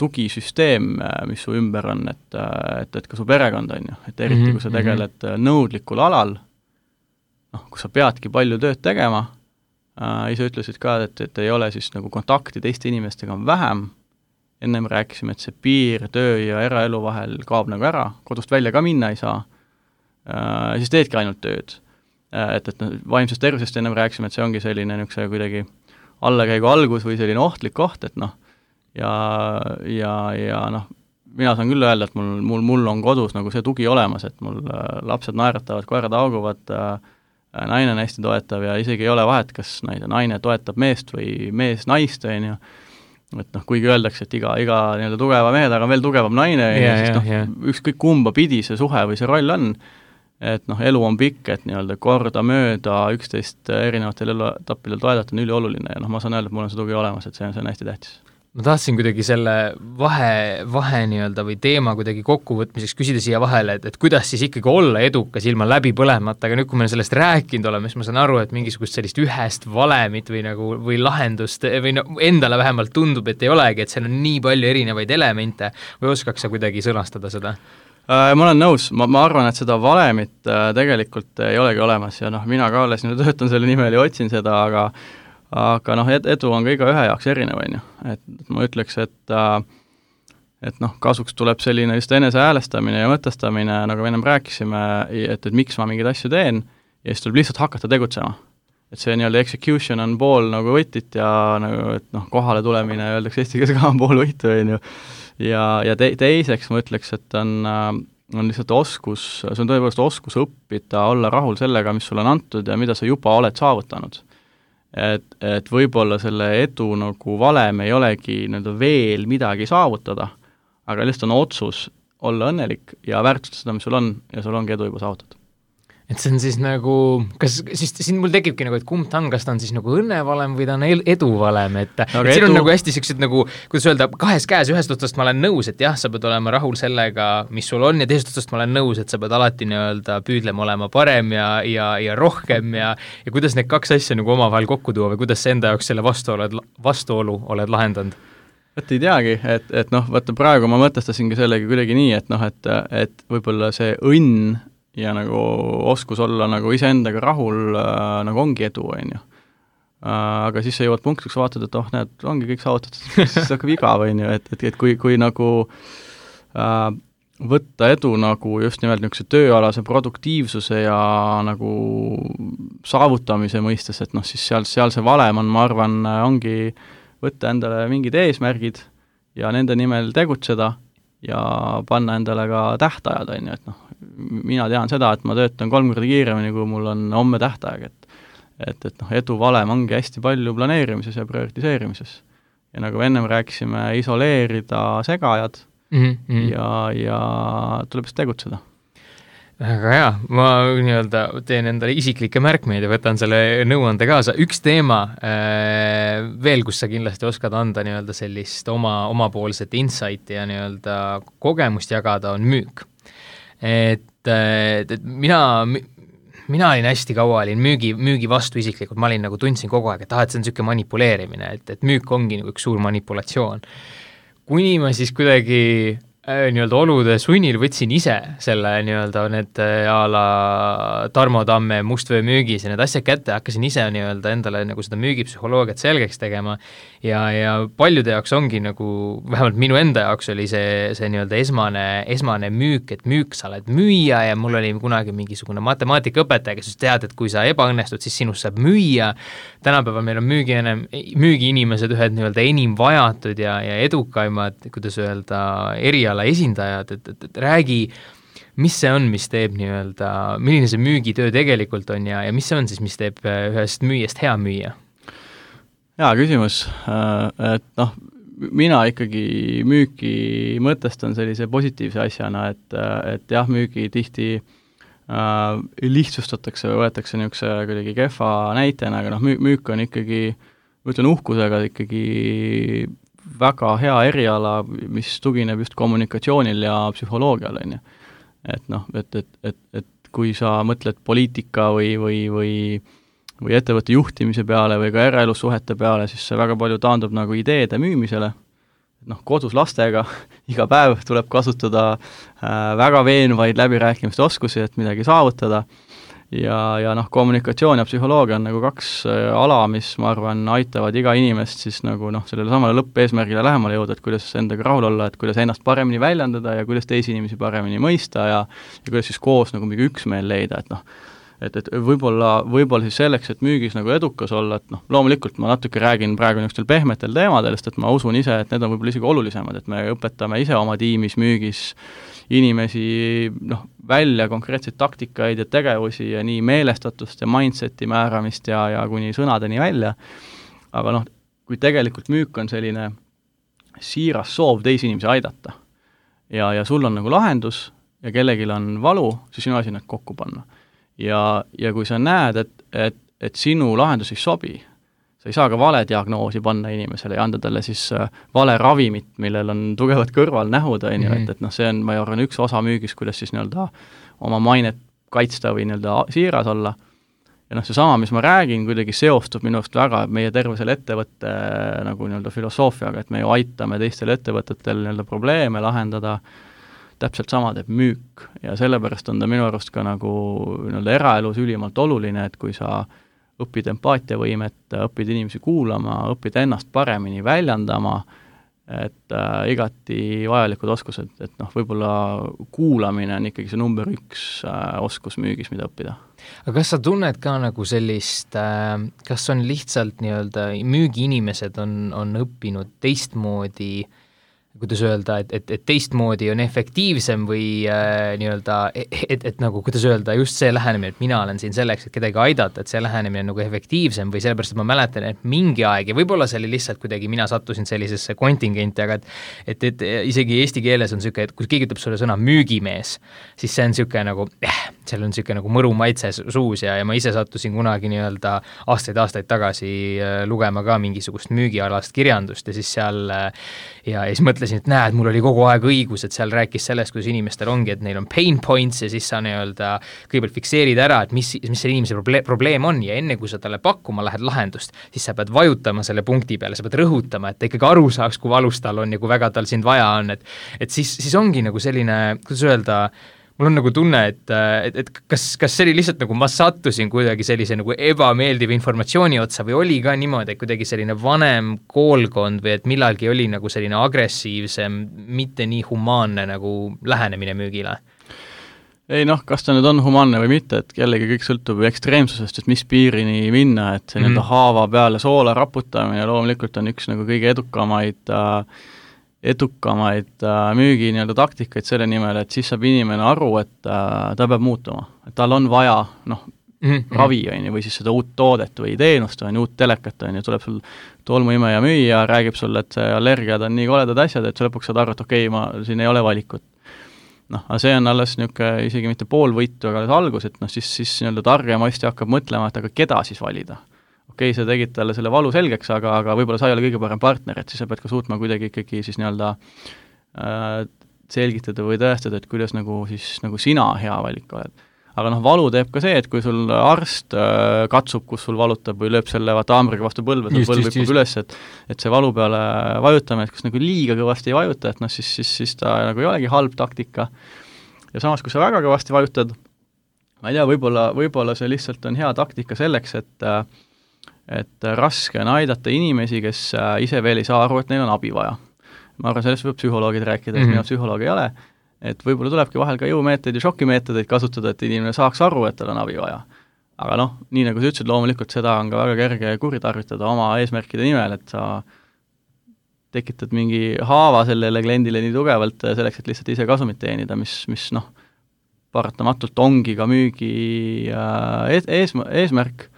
tugisüsteem, mis su ümber on, et ka su perekond on ju, et eriti kui sa tegeled nõudlikul alal, kus sa peadki palju tööd tegema, ise ütlesid ka, et ei ole siis nagu kontakti teiste inimestega on vähem, ennem rääkisime, et see piir töö ja eraelu vahel kaob nagu ära, kodust välja ka minna ei saa, siis teedki ainult tööd. Et vaimsest tervisest ennem rääkisime, et see ongi selline niisuguse kuidagi allakäigu algus või selline ohtlik koht, et mina saan küll öelda, et mul on kodus nagu see tugi olemas, et mul lapsed naeratavad, koerad auguvad, naine on hästi toetav ja isegi ei ole vahet, kas naine toetab meest või mees naist, on ju, et kuigi öeldakse, et iga nii-öelda tugeva mehe taga on veel tugevam naine, ükskõik kumba pidi see suhe või see roll on, et elu on pikk, et nii-öelda korda mööda 11 erinevatel eluetappidel toedata on ülioluline ja ma saan öelda, et mul on see tugi olemas, et see on hästi tähtis. Ma tahtsin kuidagi selle vahe nii-öelda või teema kuidagi kokkuvõtmiseks küsida siia vahele, et kuidas siis ikkagi olla edukas ilma läbi põlemata, aga nüüd, kui me sellest rääkinud oleme, siis ma saan aru, et mingisugust sellist ühest valemit või lahendust või endale vähemalt tundub, et ei olegi, et seal on nii palju erinevaid elemente või oskaks sa kuidagi sõnastada seda? Ma olen nõus, ma arvan, et seda valemit tegelikult ei olegi olemas ja mina ka alles töötan selle nimel ja otsin seda, aga edu on ka iga ühe jaoks erinev, on ju. Et ma ütleks, et kasuks tuleb selline just enese häälestamine ja mõtestamine, nagu me ennem rääkisime, et miks ma mingeid asju teen ja siis tuleb lihtsalt hakata tegutsema. Et see nii-öelda execution on pool nagu võitit ja nagu, et kohale tulemine, öeldakse eesti keeles ka on pool võitu, on ju. Ja teiseks ma ütleks, et on lihtsalt oskus, see on tõepoolest oskus õppida, olla rahul sellega, mis sulle on antud ja mida sa juba oled saavutanud. Et võib-olla selle edu nagu valem ei olegi veel midagi saavutada, aga lihtsalt on otsus olla õnnelik ja väärtustada seda, mis sul on ja sul ongi edu juba saavutatud. Et see on siis nagu, kas siis siin mul tekibki nagu, et kumb ta on, kas ta on siis nagu õnnevalem või ta on eduvalem, et siin on nagu hästi siuksed nagu, kuidas öelda, 2 käes, ühest otsast ma olen nõus, et jah, sa pead olema rahul sellega, mis sul on ja teisest otsast ma olen nõus, et sa pead alati nii-öelda püüdlema olema parem ja rohkem ja kuidas need 2 asja nagu omavahel kokku tuua või kuidas sa enda jaoks selle vastuolu oled lahendanud? Et ei teagi, et vaata praegu ma mõtestasingi sellegi kuidagi nii, et võib-olla see õnn ja nagu oskus olla nagu iseendaga rahul nagu ongi edu, on ju. Aga siis sa jõuad punktiks, vaatad, et näed, ongi kõik saavutatud, siis hakkab igav, on ju, et kui nagu võtta edu nagu just nimelt niisuguse tööalase produktiivsuse ja nagu saavutamise mõistes, et siis seal see valem on, ma arvan, ongi võtta endale mingid eesmärgid ja nende nimel tegutseda ja panna endale ka tähtajad, on ju, et mina tean seda, et ma töötan 3 korda kiiremini, kui mul on homme tähtaeg, et edu valem ongi hästi palju planeerimises ja prioritiseerimises. Ja nagu ennem rääkisime, isoleerida segajad ja tuleb tegutseda. Väga hea, ma nii-öelda teen endale isiklikke märkmeid ja võtan selle nõuande kaasa. Üks teema veel, kus sa kindlasti oskad anda nii-öelda sellist omapoolset insighti ja nii-öelda kogemust jagada, on müük. Et mina olin hästi kaua, olin müügi vastu isiklikult, ma olin nagu tundsin kogu aeg, et see on niisugune manipuleerimine, et müük ongi nagu üks suur manipulatsioon. Kuni ma siis kuidagi nii-öelda olude sunnil võtsin ise selle nii-öelda need a la Tarmo Tamme mustvöö müügis ja need asjad kätte, hakkasin ise nii-öelda endale nagu seda müügipsühholoogiat selgeks tegema ja paljude jaoks ongi nagu, vähemalt minu enda jaoks oli see nii-öelda esmane müük, et müük sa oled müüja ja mul oli kunagi mingisugune matemaatikaõpetaja, kes tead, et kui sa ebaõnnestud, siis sinust saab müüa. Tänapäeval meil on müügiinimesed ühed nii-öelda enim vajatud ja edukaimad, kuidas öelda, eriala esindajad, et räägi, mis see on, mis teeb nii-öelda, milline see müügitöö tegelikult on ja mis see on siis, mis teeb ühest müüjast hea müüja? Hea küsimus, et mina ikkagi müüki mõtestan sellise positiivse asjana, et jah, müügi tihti lihtsustatakse või võetakse niisuguse kuidagi kehva näitena, aga müük on ikkagi, ma ütlen uhkusega ikkagi väga hea eriala, mis tugineb just kommunikatsioonil ja psühholoogial, on ju. Et kui sa mõtled poliitika või ettevõtte juhtimise peale või ka eraelussuhete peale, siis see väga palju taandub nagu ideede müümisele. Kodus lastega iga päev tuleb kasutada väga veenvaid läbirääkimiste oskusi, et midagi saavutada. Ja kommunikatsioon ja psühholoogia on nagu kaks ala, mis ma arvan aitavad iga inimest siis nagu sellele samale lõppeesmärgile lähemale jõuda, et kuidas endaga rahul olla, et kuidas ennast paremini väljendada ja kuidas teisi inimesi paremini mõista ja kuidas siis koos nagu mingi üksmeel leida, et võib-olla siis selleks, et müügis nagu edukas olla, et loomulikult ma natuke räägin praegu niisugustel pehmetel teemadel, sest et ma usun ise, et need on võib-olla isegi olulisemad, et me õpetame ise oma tiimis müügis inimesi välja konkreetseid taktikaid ja tegevusi ja nii meelestatust ja mindseti määramist ja kuni sõnadeni välja, aga kui tegelikult müük on selline siiras soov teisi inimesi aidata ja sul on nagu lahendus ja kellelgi on valu, siis sinu asi need kokku panna. Ja kui sa näed, et sinu lahendus ei sobi, sa ei saa ka vale diagnoosi panna inimesele ja anda talle siis vale ravimit, millel on tugevad kõrvalnähud, et see on, ma arvan, üks osa müügis, kuidas siis nii-öelda oma mainet kaitsta või nii-öelda siiras olla. Ja seesama, mis ma räägin, kuidagi seostub minu arust väga meie tervesele ettevõtte nagu nii-öelda filosoofiaga, et me ju aitame teistel ettevõtetel nii-öelda probleeme lahendada, täpselt sama teeb müük ja sellepärast on ta minu arust ka nagu nii-öelda eraelus ülimalt oluline, et kui sa õpid empaatiavõimet, õpid inimesi kuulama, õpid ennast paremini väljendama, et igati vajalikud oskused, et võib-olla kuulamine on ikkagi see number 1 oskus müügis, mida õppida. Aga kas sa tunned ka nagu sellist, kas on lihtsalt nii-öelda müügiinimesed on õppinud teistmoodi, kuidas öelda, et teistmoodi on efektiivsem või nii-öelda, et nagu, kuidas öelda, just see lähenemine, et mina olen siin selleks, et kedagi aidata, et see lähenemine on nagu efektiivsem või sellepärast, et ma mäletan, et mingi aeg, ja võib-olla see oli lihtsalt kuidagi, mina sattusin sellisesse kontingenti, aga et isegi eesti keeles on niisugune, et kui keegi ütleb sulle sõna müügimees, siis see on niisugune nagu, seal on niisugune nagu mõru maitse suus ja ma ise sattusin kunagi nii-öelda aastaid tagasi lugema ka mingisugust müügialast kirjandust ja siis seal ja siis mõtlesin, et näed, mul oli kogu aeg õigus, et seal rääkis sellest, kuidas inimestel ongi, et neil on pain points ja siis sa nii-öelda kõigepealt fikseerid ära, et mis see inimese probleem on ja enne, kui sa talle pakkuma lähed lahendust, siis sa pead vajutama selle punkti peale, sa pead rõhutama, et ta ikkagi aru saaks, kui valus tal on ja kui väga tal sind vaja on, et siis ongi nagu selline, kuidas öelda, mul on nagu tunne, et kas see oli lihtsalt nagu ma sattusin kuidagi sellise nagu ebameeldiva informatsiooni otsa või oli ka niimoodi, et kuidagi selline vanem koolkond või et millalgi oli nagu selline agressiivsem, mitte nii humaanne nagu lähenemine müügile? Ei kas ta nüüd on humaanne või mitte, et jällegi kõik sõltub ekstreemsusest, et mis piirini minna, et see nii-öelda haava peale soola raputamine loomulikult on üks nagu kõige edukamaid müügi nii-öelda taktikaid selle nimel, et siis saab inimene aru, et ta peab muutuma, et tal on vaja ravi või siis seda uut toodet või teenust uut telekat tuleb sul tolmuimeja müüja, räägib sulle, et see allergiad on nii koledad asjad, et sa lõpuks saad aru, et okei, siin ei ole valikut. noh, aga see on alles niisugune isegi mitte pool võitu, aga alles algus, et noh, siis nii-öelda targem ostja hakkab mõtlema, et aga keda siis valida. Okei, sa tegid talle selle valu selgeks, aga võib-olla sa ei ole kõige parem partner, et siis sa pead ka suutma kuidagi ikkagi siis nii-öelda selgitada või tõestada, et kuidas nagu siis nagu sina hea valik oled. Aga noh, valu teeb ka see, et kui sul arst katsub, kus sul valutab või lööb selle haamriga vastu põlve, põlv hüppab üles, et see valu peale vajutame, et kus nagu liiga kõvasti ei vajuta, et noh, siis ta nagu ei olegi halb taktika. Ja samas, kui sa väga kõvasti vajutad, ma ei tea, võib-olla see lihtsalt on hea taktika selleks, et raske on aidata inimesi, kes ise veel ei saa aru, et neil on abi vaja. Ma arvan, sellest võib psühholoogid rääkida, et mina psühholoog ei ole, et võib-olla tulebki vahel ka jõumeetodeid ja šokimeetodeid kasutada, et inimene saaks aru, et tal on abi vaja. Aga noh, nii nagu sa ütlesid, loomulikult seda on ka väga kerge kuritarvitada oma eesmärkide nimel, et sa tekitad mingi haava sellele kliendile nii tugevalt selleks, et lihtsalt ise kasumit teenida, mis noh, paratamatult ongi ka müügi eesmärk,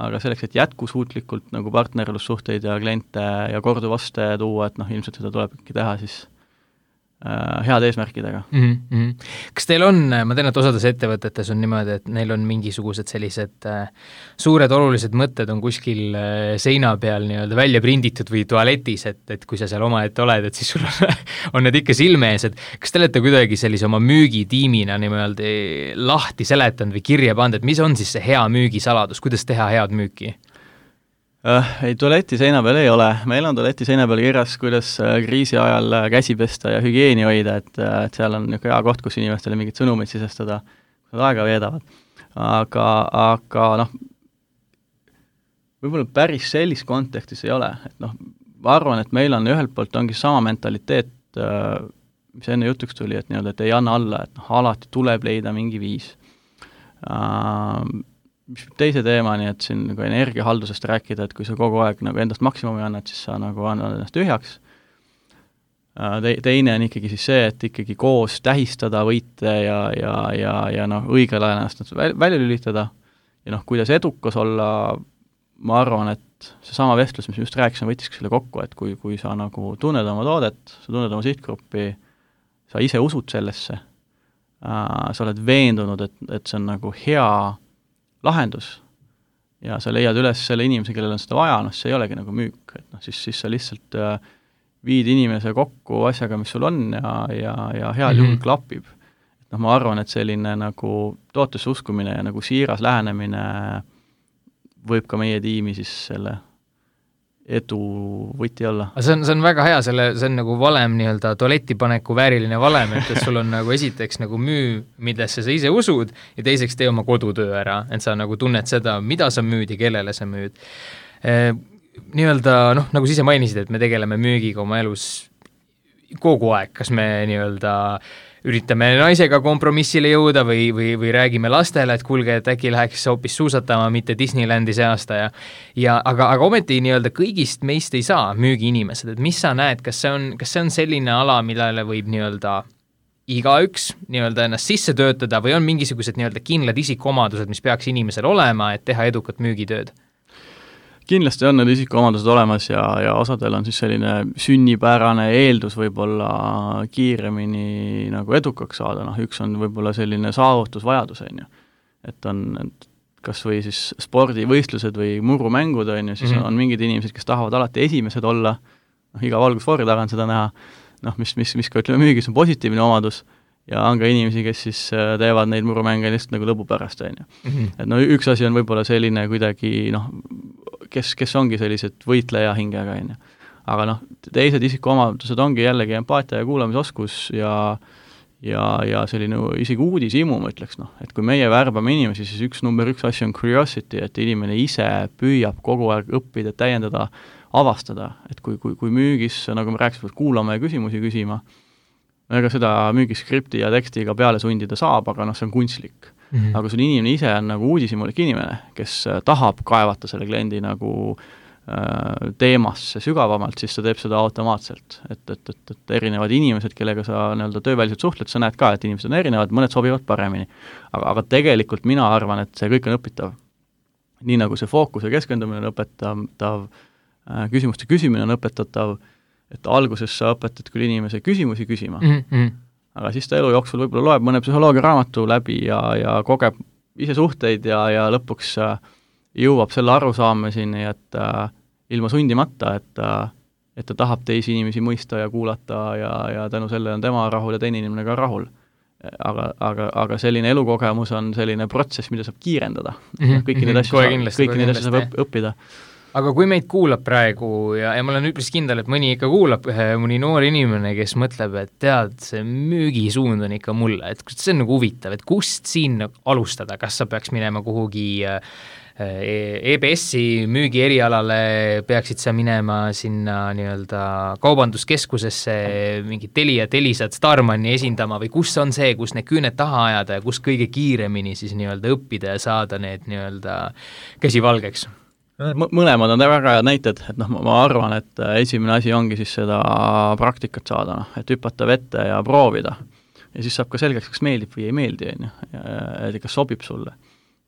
aga selleks, et jätkusuutlikult nagu partnerlussuhteid ja kliente ja korduvaste tuua, et noh, ilmselt seda tuleb ikkagi teha siis head eesmärkidega. Kas teil on, ma tean, et osades ettevõtetes on niimoodi, et neil on mingisugused sellised suured olulised mõtted on kuskil seina peal nii-öelda välja prinditud või tualetis, et kui sa seal omaette oled, et siis sul on need ikka silme ees, et kas te olete kuidagi sellise oma müügitiimina niimoodi lahti seletanud või kirja pannud, et mis on siis see hea müügisaladus, kuidas teha head müüki? Ei, tualeti seina peal ei ole. Meil on tualeti seina peal kirjas, kuidas kriisi ajal käsi pesta ja hügieeni hoida, et seal on niisugune hea koht, kus inimestele mingid sõnumid sisestada, kui nad aega veedavad. Aga noh, võib-olla päris sellist kontekstis ei ole. Et noh, ma arvan, et meil on ühelt poolt ongi sama mentaliteet, mis enne jutuks tuli, et nii-öelda, et ei anna alla, et noh, alati tuleb leida mingi viis. Mis teise teemani, et siin nagu energiahaldusest rääkida, et kui sa kogu aeg nagu endast maksimumi annad, siis sa nagu annad ennast tühjaks. Teine on ikkagi siis see, et ikkagi koos tähistada võite ja noh, õigel ajal ennast välja lülitada ja noh, kuidas edukas olla, ma arvan, et seesama vestlus, mis me just rääkisime, võttiski selle kokku, et kui sa nagu tunned oma toodet, sa tunned oma sihtgruppi, sa ise usud sellesse, sa oled veendunud, et see on nagu hea lahendus ja sa leiad üles selle inimese, kellel on seda vaja, noh, see ei olegi nagu müük, et noh, siis sa lihtsalt viid inimese kokku asjaga, mis sul on ja heal juhul klapib. Et noh, ma arvan, et selline nagu tootesse uskumine ja nagu siiras lähenemine võib ka meie tiimi siis selle edu võti olla. See on väga hea, see on nagu valem nii-öelda tualetipaneku vääriline valem, et sul on nagu esiteks nagu müü, millesse sa ise usud ja teiseks tee oma kodutöö ära, et sa nagu tunned seda, mida sa müüd ja kellele sa müüd. Nii-öelda, noh, nagu sa ise mainisid, et me tegeleme müügiga oma elus kogu aeg, kas me nii-öelda üritame naisega kompromissile jõuda või räägime lastele, et kuulge, et äkki läheks hoopis suusatama, mitte Disneylandi see aasta aga ometi nii-öelda kõigist meist ei saa müügiinimesed, et mis sa näed, kas see on selline ala, millele võib nii-öelda igaüks nii-öelda ennast sisse töötada või on mingisugused nii-öelda kindlad isikuomadused, mis peaks inimesel olema, et teha edukat müügitööd? Kindlasti on need isikuomadused olemas ja osadel on siis selline sünnipärane eeldus võib-olla kiiremini nagu edukaks saada, noh, üks on võib-olla selline saavutusvajadus, on ju. Et on kas või siis spordivõistlused või murumängud, on ju, siis on mingid inimesed, kes tahavad alati esimesed olla, noh, iga valgusfoori taga on seda näha, noh, mis ka ütleme müügis on positiivne omadus, ja on ka inimesi, kes siis teevad neid murumänge lihtsalt nagu lõbu pärast, on ju. Et no üks asi on võib-olla selline kuidagi, noh, kes ongi sellised võitleja hingega, on ju. Aga noh, teised isikuomadused ongi jällegi empaatia ja kuulamisoskus ja selline isegi uudishimu, ma ütleks, noh, et kui meie värbame inimesi, siis number üks asi on curiosity, et inimene ise püüab kogu aeg õppida, täiendada, avastada, et kui müügis, nagu me rääkisime, kuulama ja küsimusi küsima, ega seda müügiskripti ja tekstiga peale sundida saab, aga noh, see on kunstlik. Aga sul inimene ise on nagu uudishimulik inimene, kes tahab kaevata selle kliendi nagu teemasse sügavamalt, siis ta teeb seda automaatselt. Et erinevad inimesed, kellega sa nii-öelda tööväliselt suhtled, sa näed ka, et inimesed on erinevad, mõned sobivad paremini. Aga tegelikult mina arvan, et see kõik on õpitav. Nii nagu see fookuse keskendumine on õpetav, küsimuste küsimine on õpetatav, et alguses sa õpetad küll inimese küsimusi küsima, aga siis ta elu jooksul võib-olla loeb mõne psühholoogia raamatu läbi ja kogeb ise suhteid ja lõpuks jõuab selle arusaamiseni, et ilma sundimata, et ta tahab teisi inimesi mõista ja kuulata ja tänu sellele on tema rahul ja teine inimene ka rahul. Aga selline elukogemus on selline protsess, mida saab kiirendada. Kõiki neid asju saab õppida. Aga kui meid kuulab praegu ja ma olen üpris kindel, et mõni ikka kuulab mõni noor inimene, kes mõtleb, et tead, see müügisuund on ikka mulle, et see on nagu huvitav, et kust siin alustada, kas sa peaks minema kuhugi EBS-i müügi erialale, peaksid sa minema sinna nii-öelda kaubanduskeskusesse mingi Telisat Starmani esindama või kus on see, kus need küüned taha ajada ja kus kõige kiiremini siis nii-öelda õppida ja saada need nii-öelda käsi valgeks? Mõlemad on väga head näited, et ma arvan, et esimene asi ongi siis seda praktikat saada, et hüpata vette ja proovida. Ja siis saab ka selgeks, kas meeldib või ei meeldi, et kas sobib sulle.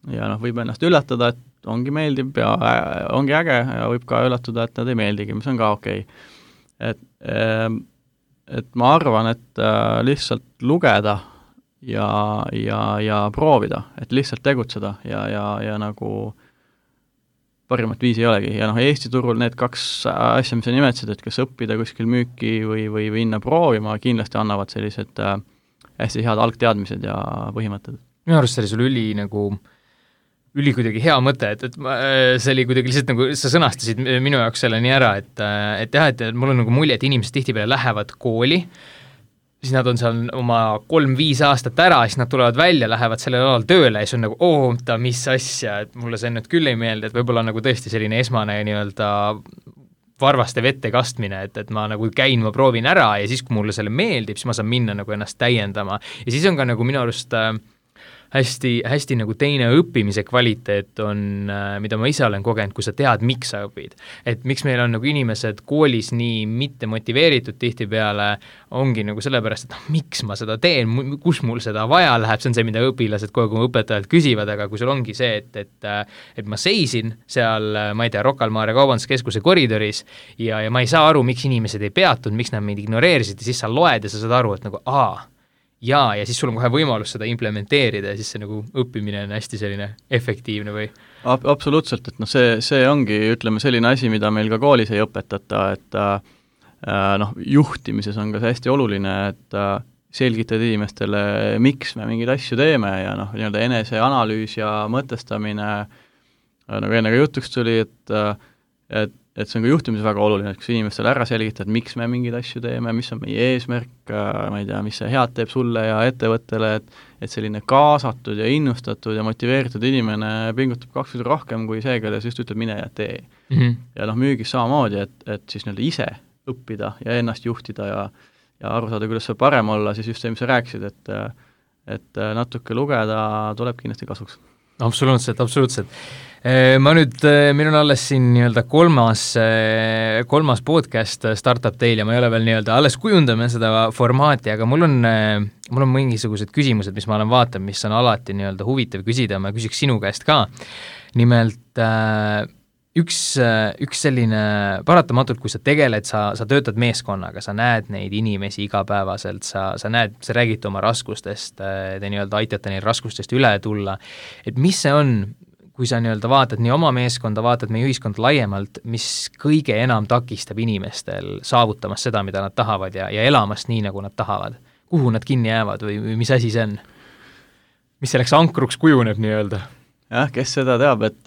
Ja võib ennast üllatada, et ongi meeldib ja ongi äge ja võib ka üllatada, et nad ei meeldigi, mis on ka okei. Et ma arvan, et lihtsalt lugeda ja proovida, et lihtsalt tegutseda ja nagu parimat viisi ei olegi. Ja Eesti turul need kaks asja, mis sa nimetasid, et kas õppida kuskil müüki või minna proovima, kindlasti annavad sellised hästi head algteadmised ja põhimõtted. Minu arust see oli sul üli kuidagi hea mõte, et see oli kuidagi lihtsalt nagu sa sõnastasid minu jaoks selle nii ära, et mul on nagu mulje, et inimesed tihtipeale lähevad kooli, siis nad on seal oma 3-5 aastat ära, siis nad tulevad välja, lähevad sellel alal tööle ja siis on nagu, mis asja, et mulle see nüüd küll ei meeldi, et võib-olla nagu tõesti selline esmane nii-öelda varvaste vette kastmine, et ma nagu käin, ma proovin ära ja siis, kui mulle selle meeldib, siis ma saan minna nagu ennast täiendama. Ja siis on ka nagu minu arust hästi nagu teine õppimise kvaliteet on, mida ma ise olen kogenud, kui sa tead, miks sa õpid. Et miks meil on nagu inimesed koolis nii mitte motiveeritud tihtipeale, ongi nagu sellepärast, et miks ma seda teen, kus mul seda vaja läheb, see on see, mida õpilased kogu aeg õpetajalt küsivad, aga kui sul ongi see, et ma seisin seal, ma ei tea, Rocca al Mare kaubanduskeskuse koridoris ja ma ei saa aru, miks inimesed ei peatunud, miks nad meid ignoreerisid ja siis sa loed ja sa saad aru, et nagu ja siis sul on kohe võimalus seda implementeerida ja siis see nagu õppimine on hästi selline efektiivne või? Absoluutselt, et see ongi, ütleme, selline asi, mida meil ka koolis ei õpetata, et juhtimises on ka see hästi oluline, et selgitad inimestele, miks me mingeid asju teeme ja nii-öelda eneseanalüüs ja mõtestamine, nagu enne ka jutuks tuli, et see on ka juhtimises väga oluline, et kui inimestele ära selgitad, miks me mingeid asju teeme, mis on meie eesmärk, ma ei tea, mis see head teeb sulle ja ettevõttele, et selline kaasatud ja innustatud ja motiveeritud inimene pingutab 2 korda rohkem kui see, kelle just ütleb mine ja tee. Ja müügis samamoodi, et siis nii-öelda ise õppida ja ennast juhtida ja aru saada, kuidas see parem olla, siis just see, mis sa rääkisid, et natuke lugeda tuleb kindlasti kasuks. Absoluutselt. Ma nüüd, meil on alles siin nii-öelda kolmas podcast Startup Teil ja ma ei ole veel nii-öelda, alles kujundame seda formaati, aga mul on mingisugused küsimused, mis ma olen vaatanud, mis on alati nii-öelda huvitav küsida, ma küsiks sinu käest ka. Nimelt üks selline paratamatult, kui sa tegeled, sa töötad meeskonnaga, sa näed neid inimesi igapäevaselt, sa räägid oma raskustest, te nii-öelda aitate neil raskustest üle tulla, et mis see on, kui sa nii-öelda vaatad nii oma meeskonda, vaatad meie ühiskond laiemalt, mis kõige enam takistab inimestel saavutamas seda, mida nad tahavad ja elamast nii, nagu nad tahavad. Kuhu nad kinni jäävad või mis asi see on? Mis selleks ankruks kujuneb nii-öelda? Jah, kes seda teab, et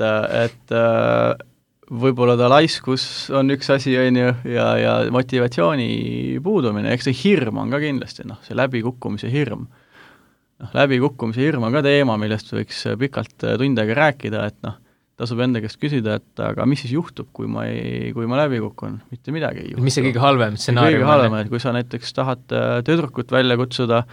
võib-olla ta laiskus on üks asi, ja motivatsiooni puudumine, eks see hirm on ka kindlasti, see läbikukkumise hirm. Läbikukkumise hirm on ka teema, millest võiks pikalt tundega rääkida, et tasub enda käest küsida, et aga mis siis juhtub, kui ma läbi kukun? Mitte midagi ei juhtu. Mis see kõige halvem stsenaarium? Kõige halvem, et kui sa näiteks tahad tüdrukut välja kutsuda,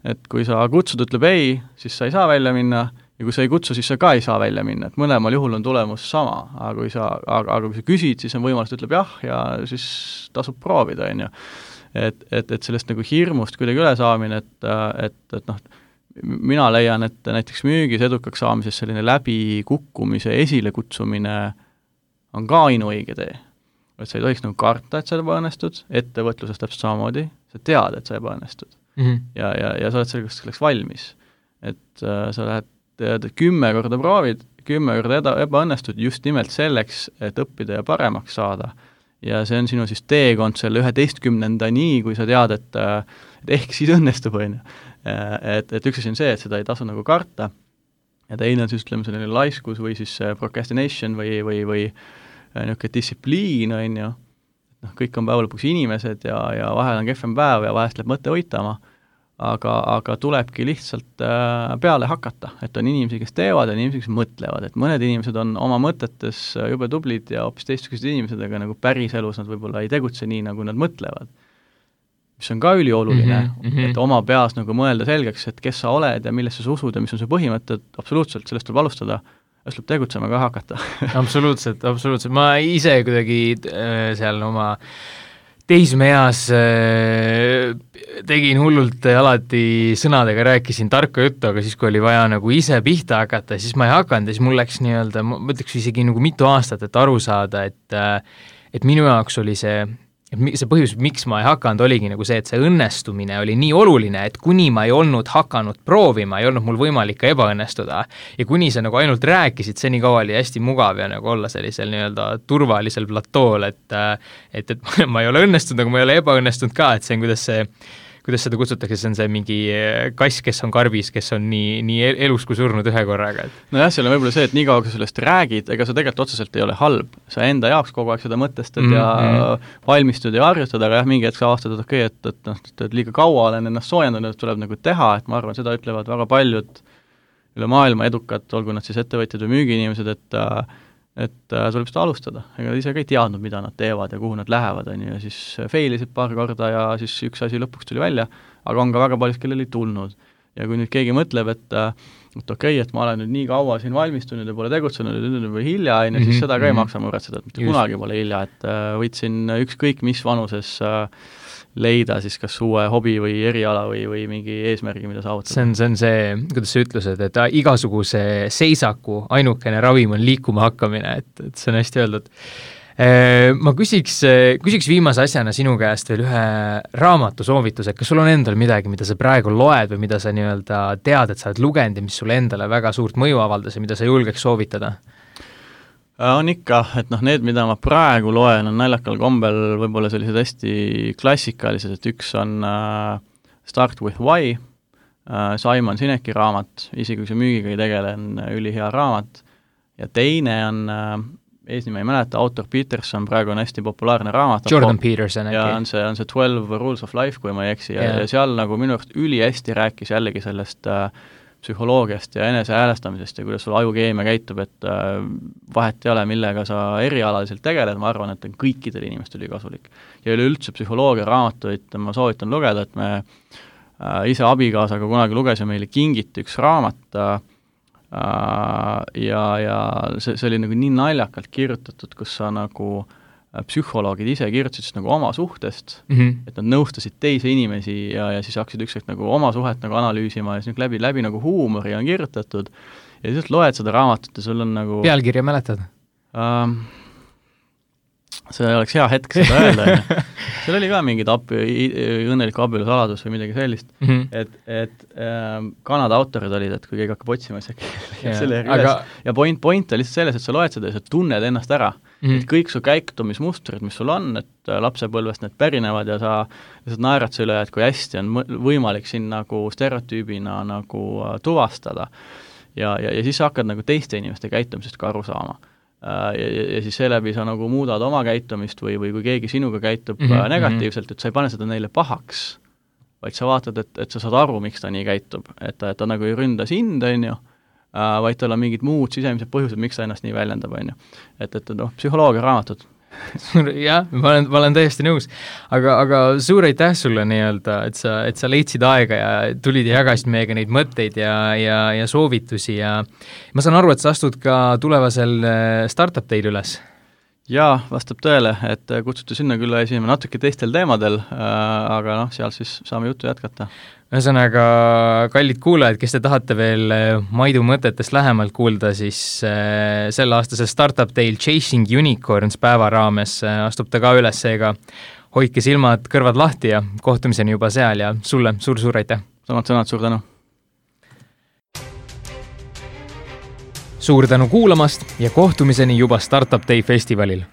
et kui sa kutsud, ütleb ei, siis sa ei saa välja minna, ja kui sa ei kutsu, siis sa ka ei saa välja minna, et mõlemal juhul on tulemus sama, aga kui sa küsid, siis on võimalus, ütleb jah, ja siis tasub proovida, et sellest nagu hirmust kuidagi üle saamine, et mina leian, et näiteks müügis edukaks saamises selline läbikukkumise esilekutsumine on ka ainuõige tee. Et sa ei tohiks nagu karta, et sa ebaõnnestud, ettevõtluses täpselt samamoodi, sa tead, et sa ebaõnnestud. ja sa oled selleks valmis. Et sa lähed 10 korda proovid, 10 korda ebaõnnestud just nimelt selleks, et õppida ja paremaks saada. Ja see on sinu siis teekond selle 11-ndani, kui sa tead, et ehk siis õnnestub, on ju. Et üks asi on see, et seda ei tasu nagu karta, ja teine on siis, ütleme, selline laiskus või siis procrastination või niisugune distsipliin, on ju. Noh, kõik on päeva lõpuks inimesed ja vahel on kehvem päev ja vahest läheb mõte uitama, aga tulebki lihtsalt peale hakata, et on inimesi, kes teevad ja inimesi, kes mõtlevad, et mõned inimesed on oma mõtetes jube tublid ja hoopis teistsugused inimesed, aga nagu päris elus nad võib-olla ei tegutse nii, nagu nad mõtlevad. Mis on ka ülioluline, et oma peas nagu mõelda selgeks, et kes sa oled ja millesse sa usud ja mis on see põhimõtted, absoluutselt, sellest tuleb alustada, ja tuleb tegutsema ka hakata. absoluutselt. Ma ise kuidagi seal oma teismeeas tegin hullult alati sõnadega, rääkisin tarka juttu, aga siis, kui oli vaja nagu ise pihta hakata, siis ma ei hakanud ja siis mul läks nii-öelda, ma ütleks isegi nagu mitu aastat, et aru saada, et minu jaoks oli see põhjus, miks ma ei hakanud, oligi nagu see, et see õnnestumine oli nii oluline, et kuni ma ei olnud hakanud proovima, ei olnud mul võimalik ka ebaõnnestuda. Ja kuni sa nagu ainult rääkisid, see nii kaua oli hästi mugav ja nagu olla sellisel nii-öelda turvalisel platool, et ma ei ole õnnestunud, aga ma ei ole ebaõnnestunud ka, et see on, kuidas seda kutsutakse, see on see mingi kass, kes on karbis, kes on nii elus kui surnud ühe korraga. Nojah, seal on võib-olla see, et nii kaua, kui sellest räägid, ega sa tegelikult otseselt ei ole halb. Sa enda jaoks kogu aeg seda mõtestad ja valmistud ja harjutad, aga jah, mingi hetk sa avastad, et okei, et liiga kaua olen ennast soojendanud, tuleb nagu teha, et ma arvan, seda ütlevad väga paljud üle maailma edukad, olgu nad siis ettevõtjad või müügiinimesed, et tuleb seda alustada. Ega ise ka ei teadnud, mida nad teevad ja kuhu nad lähevad, ja siis failisid paar korda ja siis üks asi lõpuks tuli välja, aga on ka väga paljud, kellel ei tulnud. Ja kui nüüd keegi mõtleb, et okei, et ma olen nüüd nii kaua siin valmistunud ja pole tegutsenud ja nüüd juba hilja, siis seda ka ei maksa muretseda, et mitte kunagi pole hilja, et võitsin ükskõik mis vanuses leida siis kas uue hobi või eriala või mingi eesmärgi, mida saavutada. See on see, kuidas sa ütlused, et igasuguse seisaku ainukene ravim on liikuma hakkamine, et see on hästi öeldud. Ma küsiks viimase asjana sinu käest veel ühe raamatu soovituse, kas sul on endal midagi, mida sa praegu loed või mida sa nii-öelda tead, et sa oled lugenud ja mis sulle endale väga suurt mõju avaldas ja mida sa julgeks soovitada? On ikka, et need, mida ma praegu loen, on naljakal kombel võib-olla sellised hästi klassikalised, et üks on Start with Why, Simon Sineki raamat, isegi kui see müügiga ei tegele, on ülihea raamat, ja teine on, eesnime ei mäleta, autor Peterson, praegu on hästi populaarne raamat. Jordan Peterson äkki. Ja on see 12 Rules of Life, kui ma ei eksi, ja seal nagu minu arust ülihästi rääkis jällegi sellest psühholoogiast ja enese häälestamisest ja kuidas sul ajukeemia käitub, et vahet ei ole, millega sa erialaliselt tegeled, ma arvan, et on kõikidel inimestel kasulik. Ja üleüldse psühholoogia raamatuid ma soovitan lugeda, et me ise abikaasaga kunagi lugesime meile kingiti üks raamat ja see oli nagu nii naljakalt kirjutatud, kus sa nagu psühholoogid ise kirjutasid nagu oma suhtest, et nad nõustasid teisi inimesi ja siis hakkasid ükskord nagu oma suhet nagu analüüsima ja siis läbi nagu huumori on kirjutatud ja siis loed seda raamatut ja sul on nagu pealkirja mäletad? See oleks hea hetk seda öelda. Seal oli ka mingid õnneliku abielu saladus või midagi sellist, et Kanada autorid olid, et kui keegi hakkab otsima, siis selle ja point on lihtsalt selles, et sa loed seda ja sa tunned ennast ära. Et kõik su käitumismustrid, mis sul on, et lapsepõlvest need pärinevad ja sa lihtsalt naerad selle üle, et kui hästi on võimalik siin nagu stereotüübina nagu tuvastada. Ja siis sa hakkad nagu teiste inimeste käitumisest ka aru saama. Ja siis seeläbi sa nagu muudad oma käitumist või kui keegi sinuga käitub negatiivselt, et sa ei pane seda neile pahaks, vaid sa vaatad, et sa saad aru, miks ta nii käitub, et ta nagu ei ründa sind, on ju, vaid tal on mingid muud sisemised põhjused, miks ta ennast nii väljendab, on ju. Et psühholoogia raamatud. Jah, ma olen täiesti nõus, aga suur aitäh sulle nii-öelda, et sa leidsid aega ja tulid ja jagasid meiega neid mõtteid ja soovitusi ja ma saan aru, et sa astud ka tulevasel Startup Day'l üles. Jaa, vastab tõele, et kutsuti sinna küll esinema natuke teistel teemadel, aga seal siis saame juttu jätkata. Ühesõnaga, kallid kuulajad, kes te tahate veel Maidu mõtetest lähemalt kuulda, siis selle aastase Startup Day'l Chasing Unicorns päeva raames astub ta ka üles, seega hoidke silmad, kõrvad lahti ja kohtumiseni juba seal ja sulle suur-suur aitäh! Samad sõnad, suur tänu! Suur tänu kuulamast ja kohtumiseni juba Startup Day festivalil!